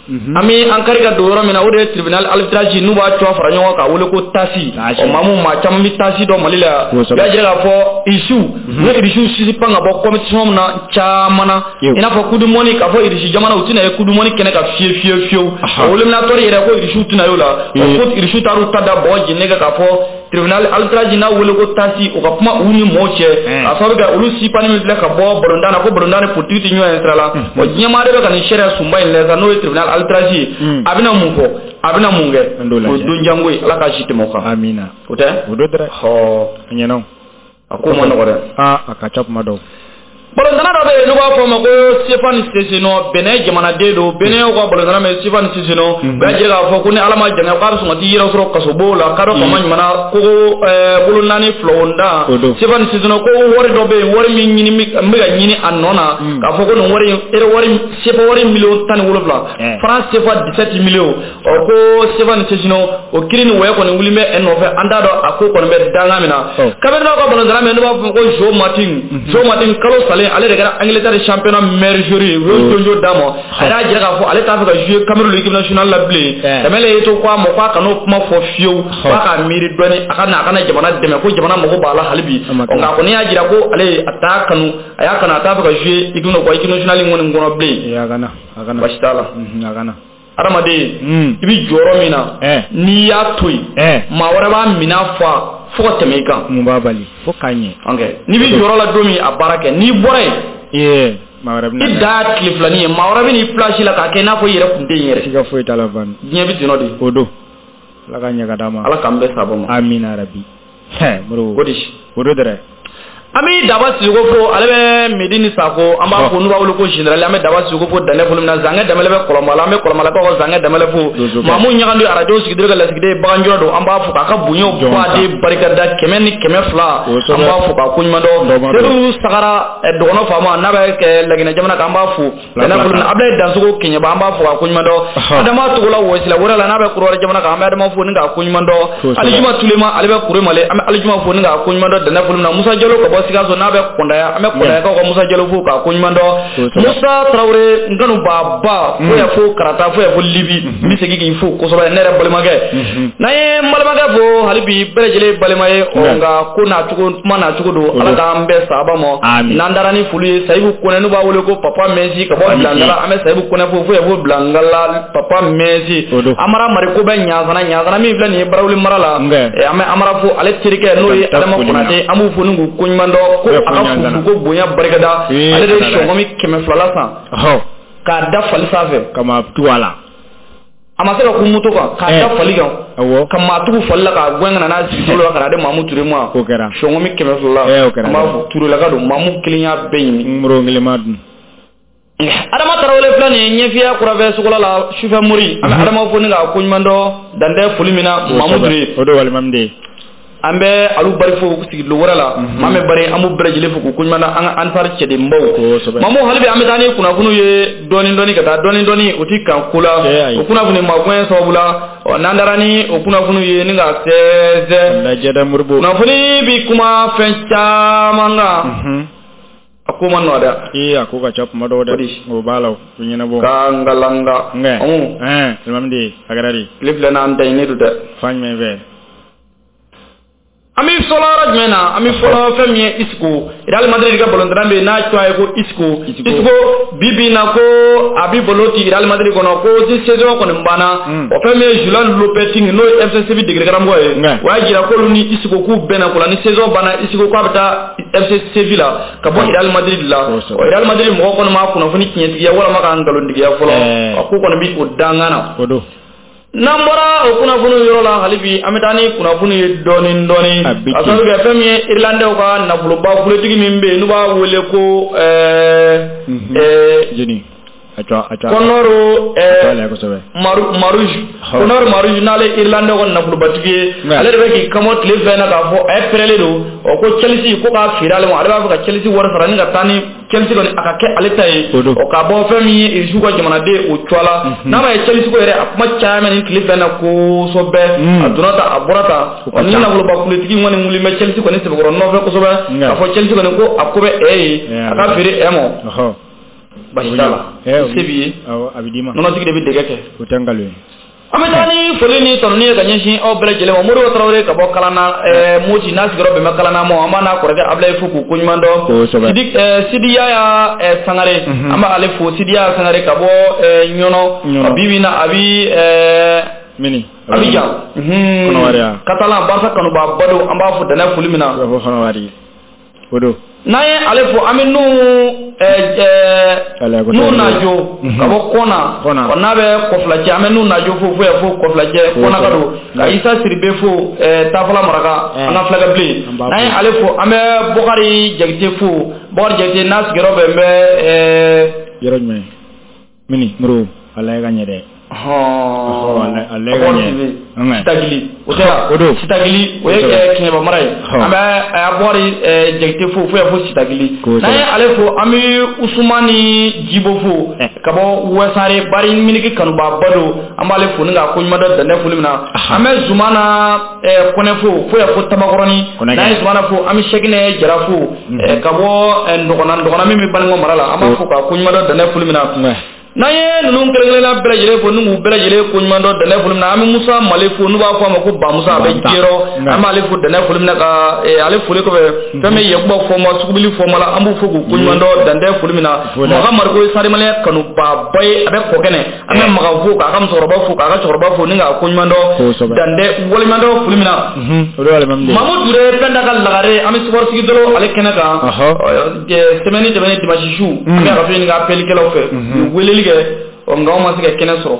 an bɛ an kari ka don yɔrɔ min na, o de ye tribunal arbitrage n'u b'a tɔgɔ fara ɲɔgɔn kan k'a wele ko TASI. Ɔ maa mun maa caman bɛ TASI dɔn Mali la, u y'a jira k'a fɔ irisiw u ye irisiw sisi pan ka bɔ compétition na caman na, i n'a fɔ coupe du monde, k'a fɔ irisi jamana u tɛna ye coupe du monde kɛnɛ kan fiye fiye fiyewu. O éliminatoire yɛrɛ ko irisiw tɛna y'o la, o ko irisiw taar'u ta da bɔgɔ jeni kan k'a fɔ tribunal arbitrage n'a wele ko TASI, o ka kuma u ni mɔɔw cɛ, k'a sababu kɛ olu sipani min filɛ ka bɔ balontan na, ko balontan ni politique tɛ ɲɔgɔn ye sira la. Wa diɲɛmaa de bɛ ka nin sariya sunba in lajɛ sa, n'o ye tribunal arbitrage ye, a bɛna mun fɔ, a bɛna mun kɛ, o ye don jango ye, Ala k'a si tɛmɛ o kan. Amina. O tɛ? O don dɛ. Hɔɔ. A ɲɛna. A ko ma nɔgɔ dɛ. Aa, a ka ca kuma dɔw. Balontanna dɔ bɛ yen n'u b'a fɔ a ma ko Stéphane Sessegnon, Benin jamanaden don, Benin ka balontanna min Stéphane Sessegnon, u y'a jira k'a fɔ ko ni Ala ma jɛn k'a bɛ sɔn ka t'i yɛrɛ sɔrɔ kasobon la, kadɔ faama ɲuman ko bolo naani filawonda. Stéphane Sessegnon ko wari dɔ bɛ yen, wari min ɲini n bɛ ka ɲini a nɔ na, k'a fɔ ko nin wari in wari C F A wari miliyɔn tan ni wolonwula, franc C F A dix-sept millions. Ɔ ko Stéphane Sessegnon o kiiri ni wɔyɔ kɔni wuli bɛ e nɔfɛ, an t'a dɔn a ko kɔni bɛ danga min na. Kabini ka balontanna min n'u b'a fɔ ko Joe Martin, Joe Martin kalo salen ale de kɛra Angleterre championnat meilleur joueur ye, u y'o jonjo d'a ma. A y'a jira k'a fɔ ale t'a fɛ ka jouer Cameroun l'équipe nationale la bilen. Dembélé ye to ko a ma k'a kan'o kuma fɔ fiyewu, k'a k'a miiri dɔɔni, a ka na a kana jamana dɛmɛ, ko jamana mago b'a la hali bi. Nka a kɔni y'a jira ko ale a t'a kanu, a y'a kanu, a t'a fɛ ka jouer équipe équipe nationale in kɔni kɔnɔ bilen. A kana a kana basi t'a la. A kana. Adamaden i bɛ jɔyɔrɔ min na, n'i y'a to yen, maa wɛrɛ b'a minɛ fa fo ka tɛmɛ i kan. Mun b'a bali fo k'a ɲɛ. Ok, n'i bɛ jɔyɔrɔ la don min, a baara kɛ, n'i bɔra yen, I da tile filanin ye maa wɛrɛ bɛ n'i place la k'a kɛ i n'a fɔ i yɛrɛ kun tɛ yen yɛrɛ. Siga foyi t'a la Van. Diɲɛ bɛ ten nɔ de. O don. Ala ka ɲɛ ka d'a ma. Ala k'an bɛɛ sababa ma. Amina rabi. Hɛ Modibo. O de. O don dɛrɛ. An bɛ Daba Sisoko fo, ale bɛ Medini Sako, an b'a fo n'u b'a wele ko général, an bɛ Daba Sisoko fo danɛ foli min na, Zankɛ Danbɛlɛ bɛ Kɔlɔnba la, an bɛ Kɔlɔnbalakaw ka Zankɛ Danbɛlɛ fo, Mamu Ɲagandu arajo sigidon ka lasigiden baganjɔ don, an b'a fo k'a ka bonyaw baden barikada kɛmɛ ni kɛmɛ fila, an b'a fo k'a koɲuman dɔn, Sedu Sagara dɔgɔnɔ faama n'a bɛ Laginɛ jamana kan, an b'a fo danɛ foli min na, Abulaye Dansogo Keɲɛba, an b'a fo k'a koɲuman dɔn, Adama Togola Wɔsila wɛrɛ la n'a bɛ Kɔrɔwari jamana kan, an bɛ Adama fo ni k'a koɲuman dɔn, Alijuma Tulema ale bɛ Kuremale, an bɛ Alijuma fo ni k'a koɲuman dɔn danɛ foli min na, Musa Jalo ka bɔ Sikaso n'a bɛ Kɔndaya, an bɛ Kɔndayakaw ka Musa Jalo fo k'a koɲuman dɔn, Musa Tarawele n kanubaaba fo yan fo Karata fo yan fo Libi, n bɛ segin k'i fo kosɛbɛ ne yɛrɛ balimakɛ, n'an ye n balimakɛ fo hali bi bɛɛ lajɛlen balima ye, ɔ nka ko n'a cogo kuma n'a cogo don, Ala k'an bɛɛ sababa ma, n'an taara ni foli ye Sayibu Kɔnɛ n'u b'a wele ko Papa Mɛsi ka bɔ Bilangala, an bɛ Sayibu Kɔnɛ fo fo yan fo Bilangala Papa Mɛsi, Amara Mariko bɛ Ɲansana, Ɲansana min filɛ nin ye Barawuli mara la, an bɛ Amara fo ale terikɛ n'o ye Adama Konate, an b'u fo ni k'u koɲuman dɔn ko a ka fufu ko bonya barikada, ale de ye sɔngɔmi kɛmɛ fila la san k'a da fali sanfɛ ka maa tugu a la, a ma se ka kun moto kan k'a da fali kan ka maa tugu fali la k'a gɛn ka na n'a sigi la ka na di Mamu Ture ma, sɔngɔmi kɛmɛ fila la, an b'a fɔ Turelaka don, Mamu kelen y'a bɛɛ ɲimi, n kelen ma dun. Adama Tarawele filɛ nin ye ɲɛfiya kurafɛ sukola la sufɛ mori, an bɛ Adama fo ni k'a koɲuman dɔn dantɛ foli min na Mamu Ture, o don walima de an bɛ alu bari fo sigidon wɛrɛ la, maa min bari an b'u bɛɛ lajɛlen fo k'u koɲuman dɔn an ka ansari cɛdenbaw, Mamu hali bi an bɛ taa ni kunnafoniw ye dɔɔni dɔɔni ka taa dɔɔni dɔɔni o ti kan ko la, o kunnafoni magoɲɛ sababu la, ɔ n'an taara ni o kunnafoniw ye ni ka sɛnsɛn, kunnafoni bi kuma fɛn caman kan, a ko ma nɔgɔ dɛ, ee a ko ka ca kuma dɔw dɛ, o b'a la o ɲɛnabɔ, ka ngalanga, ɛn alimami a kɛra di, tile filɛ n'an da ɲini don dɛ, fan jumɛn fɛ? An bɛ fɔlɔ yɔrɔ jumɛn na, an bɛ fɔlɔ fɛn min ye Isco, Real Madrid ka balontan bɛ yen n'a tɔgɔ ye ko Isco, Isco bi bi in na ko a bɛ balo ci Real Madrid kɔnɔ ko si saison kɔni banna, o fɛn min ye Julian Lopetegui n'o ye F C Séville degeli karamɔgɔ ye, o y'a jira k'olu ni Isco k'u bɛnna ko la ni saison banna Isco k'a bɛ taa F C Séville la ka bɔ Real Madrid la, o Real Madrid mɔgɔ kɔni ma kunnafoni tiɲɛtigiya walima ka nkalontigiya fɔlɔ, a ko kɔni bɛ o dangan na. N'an bɔra o kunnafoni yɔrɔ la hali bi an bɛ taa ni kunnafoni ye dɔɔni dɔɔni, a sababu kɛ fɛn min ye Irlandais ka nafoloba kuletigi min bɛ yen n'u b'a wele ko ɛɛ ɛɛ Conor Marouge, Conor Marouge n'ale Irlandais ka nafolobatigi ye, ale de bɛ k'i kamɔ tile fɛn na k'a fɔ a ye pɛrɛlen don, ɔ ko Chelsea ko k'a feere ale ma, ale b'a fɛ ka Chelsea wari sara ni ka taa ni Chelsea kɔni a ka kɛ ale ta ye, ɔ k'a bɔ fɛn min ye Irisiw ka jamanaden o cogoya la, n'a ma ye Chelsea ko yɛrɛ a kuma caya mɛ nin tile fɛn na kosɛbɛ, a donna tan a bɔra tan, ɔ ni nafoloba kuletigi kɔni wuli bɛ Chelsea kɔni sɛbɛkɔrɔ nɔfɛ kosɛbɛ, k'a fɔ Chelsea kɔni ko a ko bɛ ɛ ye, a ka feere ɛ ma. Basi t'a la, se b'i ye, nɔnɔtigi de bɛ dɛgɛ kɛ, o tɛ nkalon ye. An bɛ taa ni foli ni tanuni ye ka ɲɛsin aw bɛɛ lajɛlen ma, Modibo Tarawele ka bɔ Kalana Moti n'a sigiyɔrɔ bɛn bɛ Kalana ma, an b'a n'a kɔrɔkɛ Abulaye fo k'u koɲuman dɔn, Sidi Yaya Sangare, an b'ale fo, Sidi Yaya Sangare ka bɔ Ɲɔnɔ, bi bi in na a bi mini Abidjan, Katalan Barca kanuba balo, an b'a fo danɛ foli min na, o don. N'an ye ale fo an bɛ nu nu najo ka bɔ Kɔna, n'a bɛ Kɔfilacɛ, an bɛ nu najo fo fo yan fo Kɔfilacɛ Kɔna ka don, ka Isa Siribe fo Tafala Maraka, an ka fulakɛ bilen, n'an ye ale fo an bɛ Bɔkari Jakite fo, Bɔkari Jakite n'a sigiyɔrɔ bɛn bɛ yɔrɔ jumɛn mini Moro ala ye ka ɲɛ dɛ. Hɔn Sitagili o tɛ o don Sitagili o ye Kɛɲɛba mara ye, an bɛ Bɔkari Jakite fo fo yan fo Sitagili, n'an ye ale fo an bɛ Usumani Jibo fo ka bɔ Wɛsare Bari Miniki kanubaaba don, an b'ale fo ni k'a koɲuman dɔn danɛ foli min na, an bɛ Zumana Kɔnɛ fo fo yan fo Tabakɔrɔni, n'an ye Zumana fo an bɛ Sɛkinɛ Jara fo ka bɔ Ndɔgɔna, Ndɔgɔna min bɛ Banikɔ mara la, an b'a fo k'a koɲuman dɔn danɛ foli min na. N'an ye ninnu kelen-kelenna bɛɛ lajɛlen fo n'u k'u bɛɛ lajɛlen ko ɲuman dɔn dɛnɛ foli min na, an bɛ Musa Male fo n'u b'a fɔ a ma ko Bamusa, a bɛ Jɛrɔ, an b'ale fo dɛnɛ foli min na ka ale foli kɔfɛ fɛn min Yakuba Fɔma Sugubili Fɔma la, an b'u fo k'u ko ɲuman dɔn dantɛ foli min na. Maga Mariko ye Sarimaliyɛn kanubaaba ye, a bɛ Kɔkɛnɛ, an bɛ Maga fo k'a ka musokɔrɔba fo k'a ka cɛkɔrɔba fo ni k'a ko ɲuman dɔn dantɛ waleɲuman dɔn foli min na. Mamu Ture Pɛnda ka lagare, an bɛ sukɔrɔ sigi dɔrɔn ale kɛnɛ kan semaine tɛmɛnen dimanche su, an bɛ arajo ɲini ka appelikɛlaw fɛ, u weleli kɛ, nka anw ma se ka kɛnɛ sɔrɔ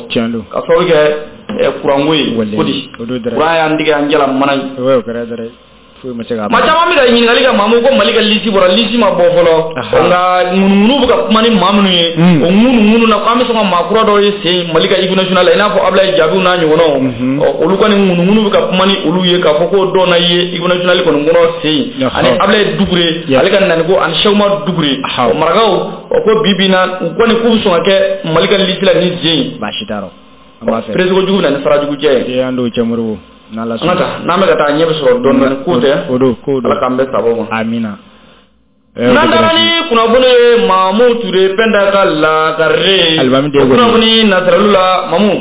ka sababu kɛ kuranko ye. Ko di kuran y'an tigɛ an jala mana ye. Maa caman bɛ ka ɲininkali kɛ Mamu ko Mali ka lisi bɔra, lisi ma bɔ fɔlɔ, nka ŋunuŋunu bɛ ka kuma ni maa minnu ye, o ŋunuŋunu na k'an bɛ sɔn ka maa kura dɔw ye sen Mali ka équipe nationale la, i n'a fɔ Ablaye Jabiw n'a ɲɔgɔnnaw, olu kɔni ŋunuŋunu bɛ ka kuma ni olu ye k'a fɔ ko dɔw na ye équipe nationale kɔni kɔnɔ sen, ani Ablaye Dugure ale ka naniko ani Sɛkuma Dugure, marakaw ko bi bi in na u kɔni k'u bɛ sɔn ka kɛ Mali ka lisi la ni sen ye. Baasi t'a rɔ, an b'a fɛ. Presse kojugu bɛ na ni sara jugu jɛ ye. An d'o cɛ Moribo. An ka taa n'an bɛ ka taa ɲɛ bɛ sɔrɔ dɔɔni dɔɔni, k'o tɛ o don k'o don, Ala k'an bɛɛ sababu ma. Amina. N'an taara ni kunnafoni ye Mamu Ture Pɛnda ka lagare kunnafoni nasiralu la, Mamu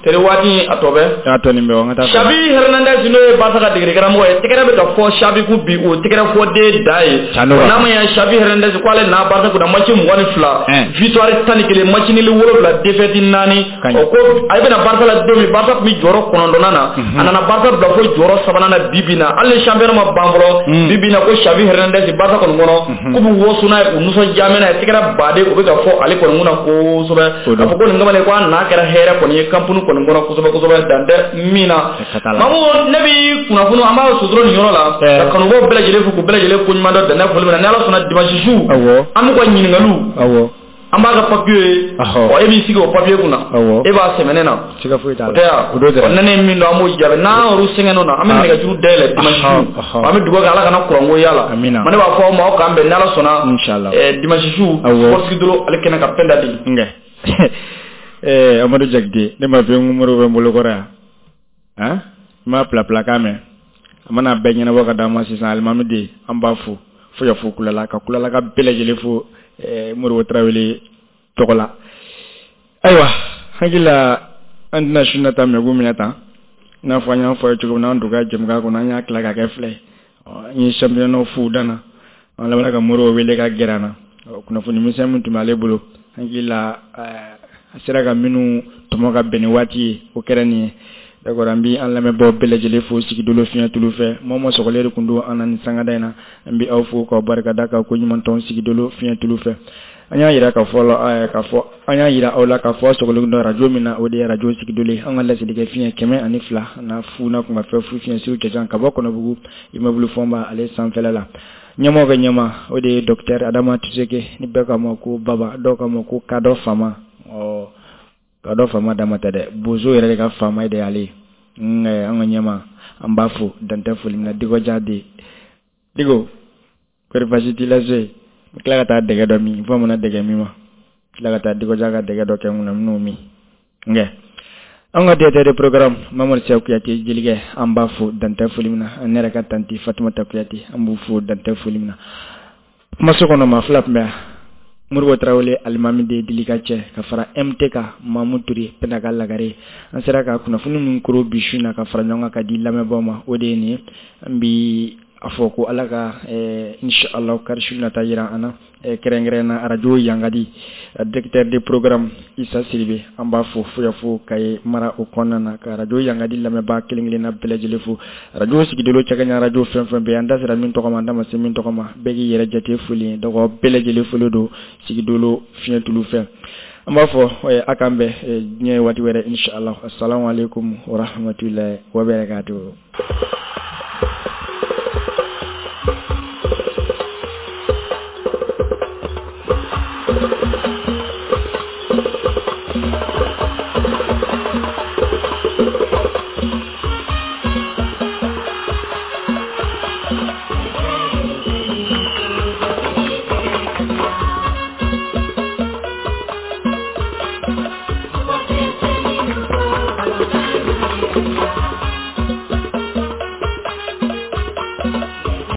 tere waati a tɔ bɛ a tɔ nin bɛ, an ka taa. Xavi Hernandez n'o ye Barca ka degeli karamɔgɔ ye, tɛgɛrɛ bɛ ka fɔ Xavi kun bi, o tɛgɛrɛ fɔ den da ye. N'a ma ɲɛ Xavi Hernandez ko ale n'a Barca kunna match mugan ni fila, victoire tan ni kelen, match nul wolonwula, défaite naani. O ko a bɛna Barca la don min, Barca tun bɛ jɔyɔrɔ kɔnɔntɔnnan na, a nana Barca bila fo jɔyɔrɔ sabanan na bi bi in na, hali ni championnat ma ban fɔlɔ, bi bi in na ko Xavi Hernandez Barca kɔni kɔnɔ k'u bɛ waso n'a ye, u nisɔndiya n'a ye, tɛgɛrɛ baden o bɛ ka fɔ ale kɔni kunna kosɛbɛ, k'a fɔ ko nin kamalen ko a n'a kɛra hɛrɛ kɔni ye camp nou kɔni kɔnɔ kosɛbɛ kosɛbɛ, dan tɛ min na. Mamu ne bi kunnafoni an b'a suturu nin yɔrɔ la ka kanubaaw bɛɛ lajɛlen fo k'u bɛɛ lajɛlen ko ɲuman dɔn dɛnɛ foli min na. Ni Ala sɔnna dimanche su an b'u ka ɲininkaliw, an b'a ka papier ye, ɔ e b'i sigi o papier kunna, e b'a sɛmɛnɛ na, o tɛ yan, ne ne min don an b'o jaabi, n'an yɛrɛ sɛgɛnnen na an bɛ nɛgɛjuru dayɛlɛ dimanche su, an bɛ dugawu kɛ Ala kana kuranko y'a la. Ma ne b'a fɔ aw ma aw k'an bɛn ni Ala sɔnna dimanche su sport sigi dɔrɔn ale kɛnɛ ka Pɛnda di. Eh Amadou Jakite, ne ma fɛn ŋumuru bɛ n bolo kɔrɔ yan, han n m'a pilapila kan mɛn, a mana bɛɛ ɲɛnabɔ ka d'an ma sisan. Alimami den an b'a fo fo ya fo Kulala ka Kulala ka bɛɛ lajɛlen fo Moribo Tarawele tɔgɔ la. Ayiwa, hakili la an tɛna su nata mɛgu minɛ tan, i n'a fɔ an y'a fɔ a ye cogo min na, an don ka jɛmukan kɔnɔ an y'a tila ka kɛ filɛ ye, an ye championnat f'u danna, an labanna ka Moribo wele ka gɛrɛ an na, kunnafoni misɛn min tun b'ale bolo, hakili la a sera ka minnu tɔmɔ ka bɛn ni waati ye, o kɛra nin ye. D'accord, an bi an lamɛnbaaw bɛɛ lajɛlen fo sigidolo fiɲɛ tulu fɛ, maa o maa sɔgɔlen de tun don an na nin sangada in na, an bi aw fo k'aw barikada k'aw ko ɲuman tɔn sigidolo fiɲɛ tulu fɛ. An y'a yira k'a fɔ la k'a fɔ an y'a yira aw la k'a fɔ aw sɔgɔlen don arajo min na, o de ye arajo sigidolo ye, an ka laselikɛ fiɲɛ kɛmɛ ani fila na fu na kun ka fɛn fu fiɲɛ suru cɛjan ka bɔ Kɔnɔbugu immeuble Fɔnba ale sanfɛla la. Ɲɛmɔgɔ ka ɲɛma o de ye docteur Adama Tuseke, ni bɛɛ k'a ma ko Baba, dɔw k'a ma ko Kadɔ Fama. Ɔ Kadɔ Fama dama tɛ dɛ, bozo yɛrɛ de ka faama de y'ale ye. An ka ɲɛma an b'a fo dantɛ foli min na. Diko Jadi, Diko kɔri baasi t'i la so yen, n tila ka taa dɛgɛ dɔ min, fo mana dɛgɛ min ma, tila ka taa Diko Ja ka dɛgɛ dɔ kɛ n kunna, n bɛn'o min. Nkɛ an ka directeur de programme Mamadu Sɛku Kuyate jelikɛ, an b'a fo dantɛ foli min na. An yɛrɛ ka tanti Fatumata Kuyate, an b'u fo dantɛ foli min na. Kumaso kɔnɔ maa fila tun bɛ yan, Moribo Tarawele alimami de dili ka cɛ ka fara M T K Mamu Ture Pɛnda ka lagare. An sera ka kunnafoni min koro bi su in na ka fara ɲɔgɔn kan ka di lamɛnbaaw ma, o de ye nin ye. An bi a fɔ ko Ala ka inshallah kari su nata yira an na, kɛrɛnkɛrɛn na arajo Yangadi directeur de programme Isa Siribe, an b'a fo fo ya fo Kaye mara o kɔnɔna na, ka arajo Yangadi lamɛnbaa kelen kelenna bɛɛ lajɛlen fo. Arajo sigidolo cɛkɛɲɛ arajo fɛn fɛn bɛ yen, an da sera min tɔgɔ ma, an da ma se min tɔgɔ ma, bɛɛ k'i yɛrɛ jate foli ye. Donc bɛɛ lajɛlen foli don sigidolo fiɲɛ tulu fɛ. An b'a fɔ a k'an bɛn diɲɛ waati wɛrɛ inshallah. Assalamu alaikum wa rahmatullahi wa barakatuh.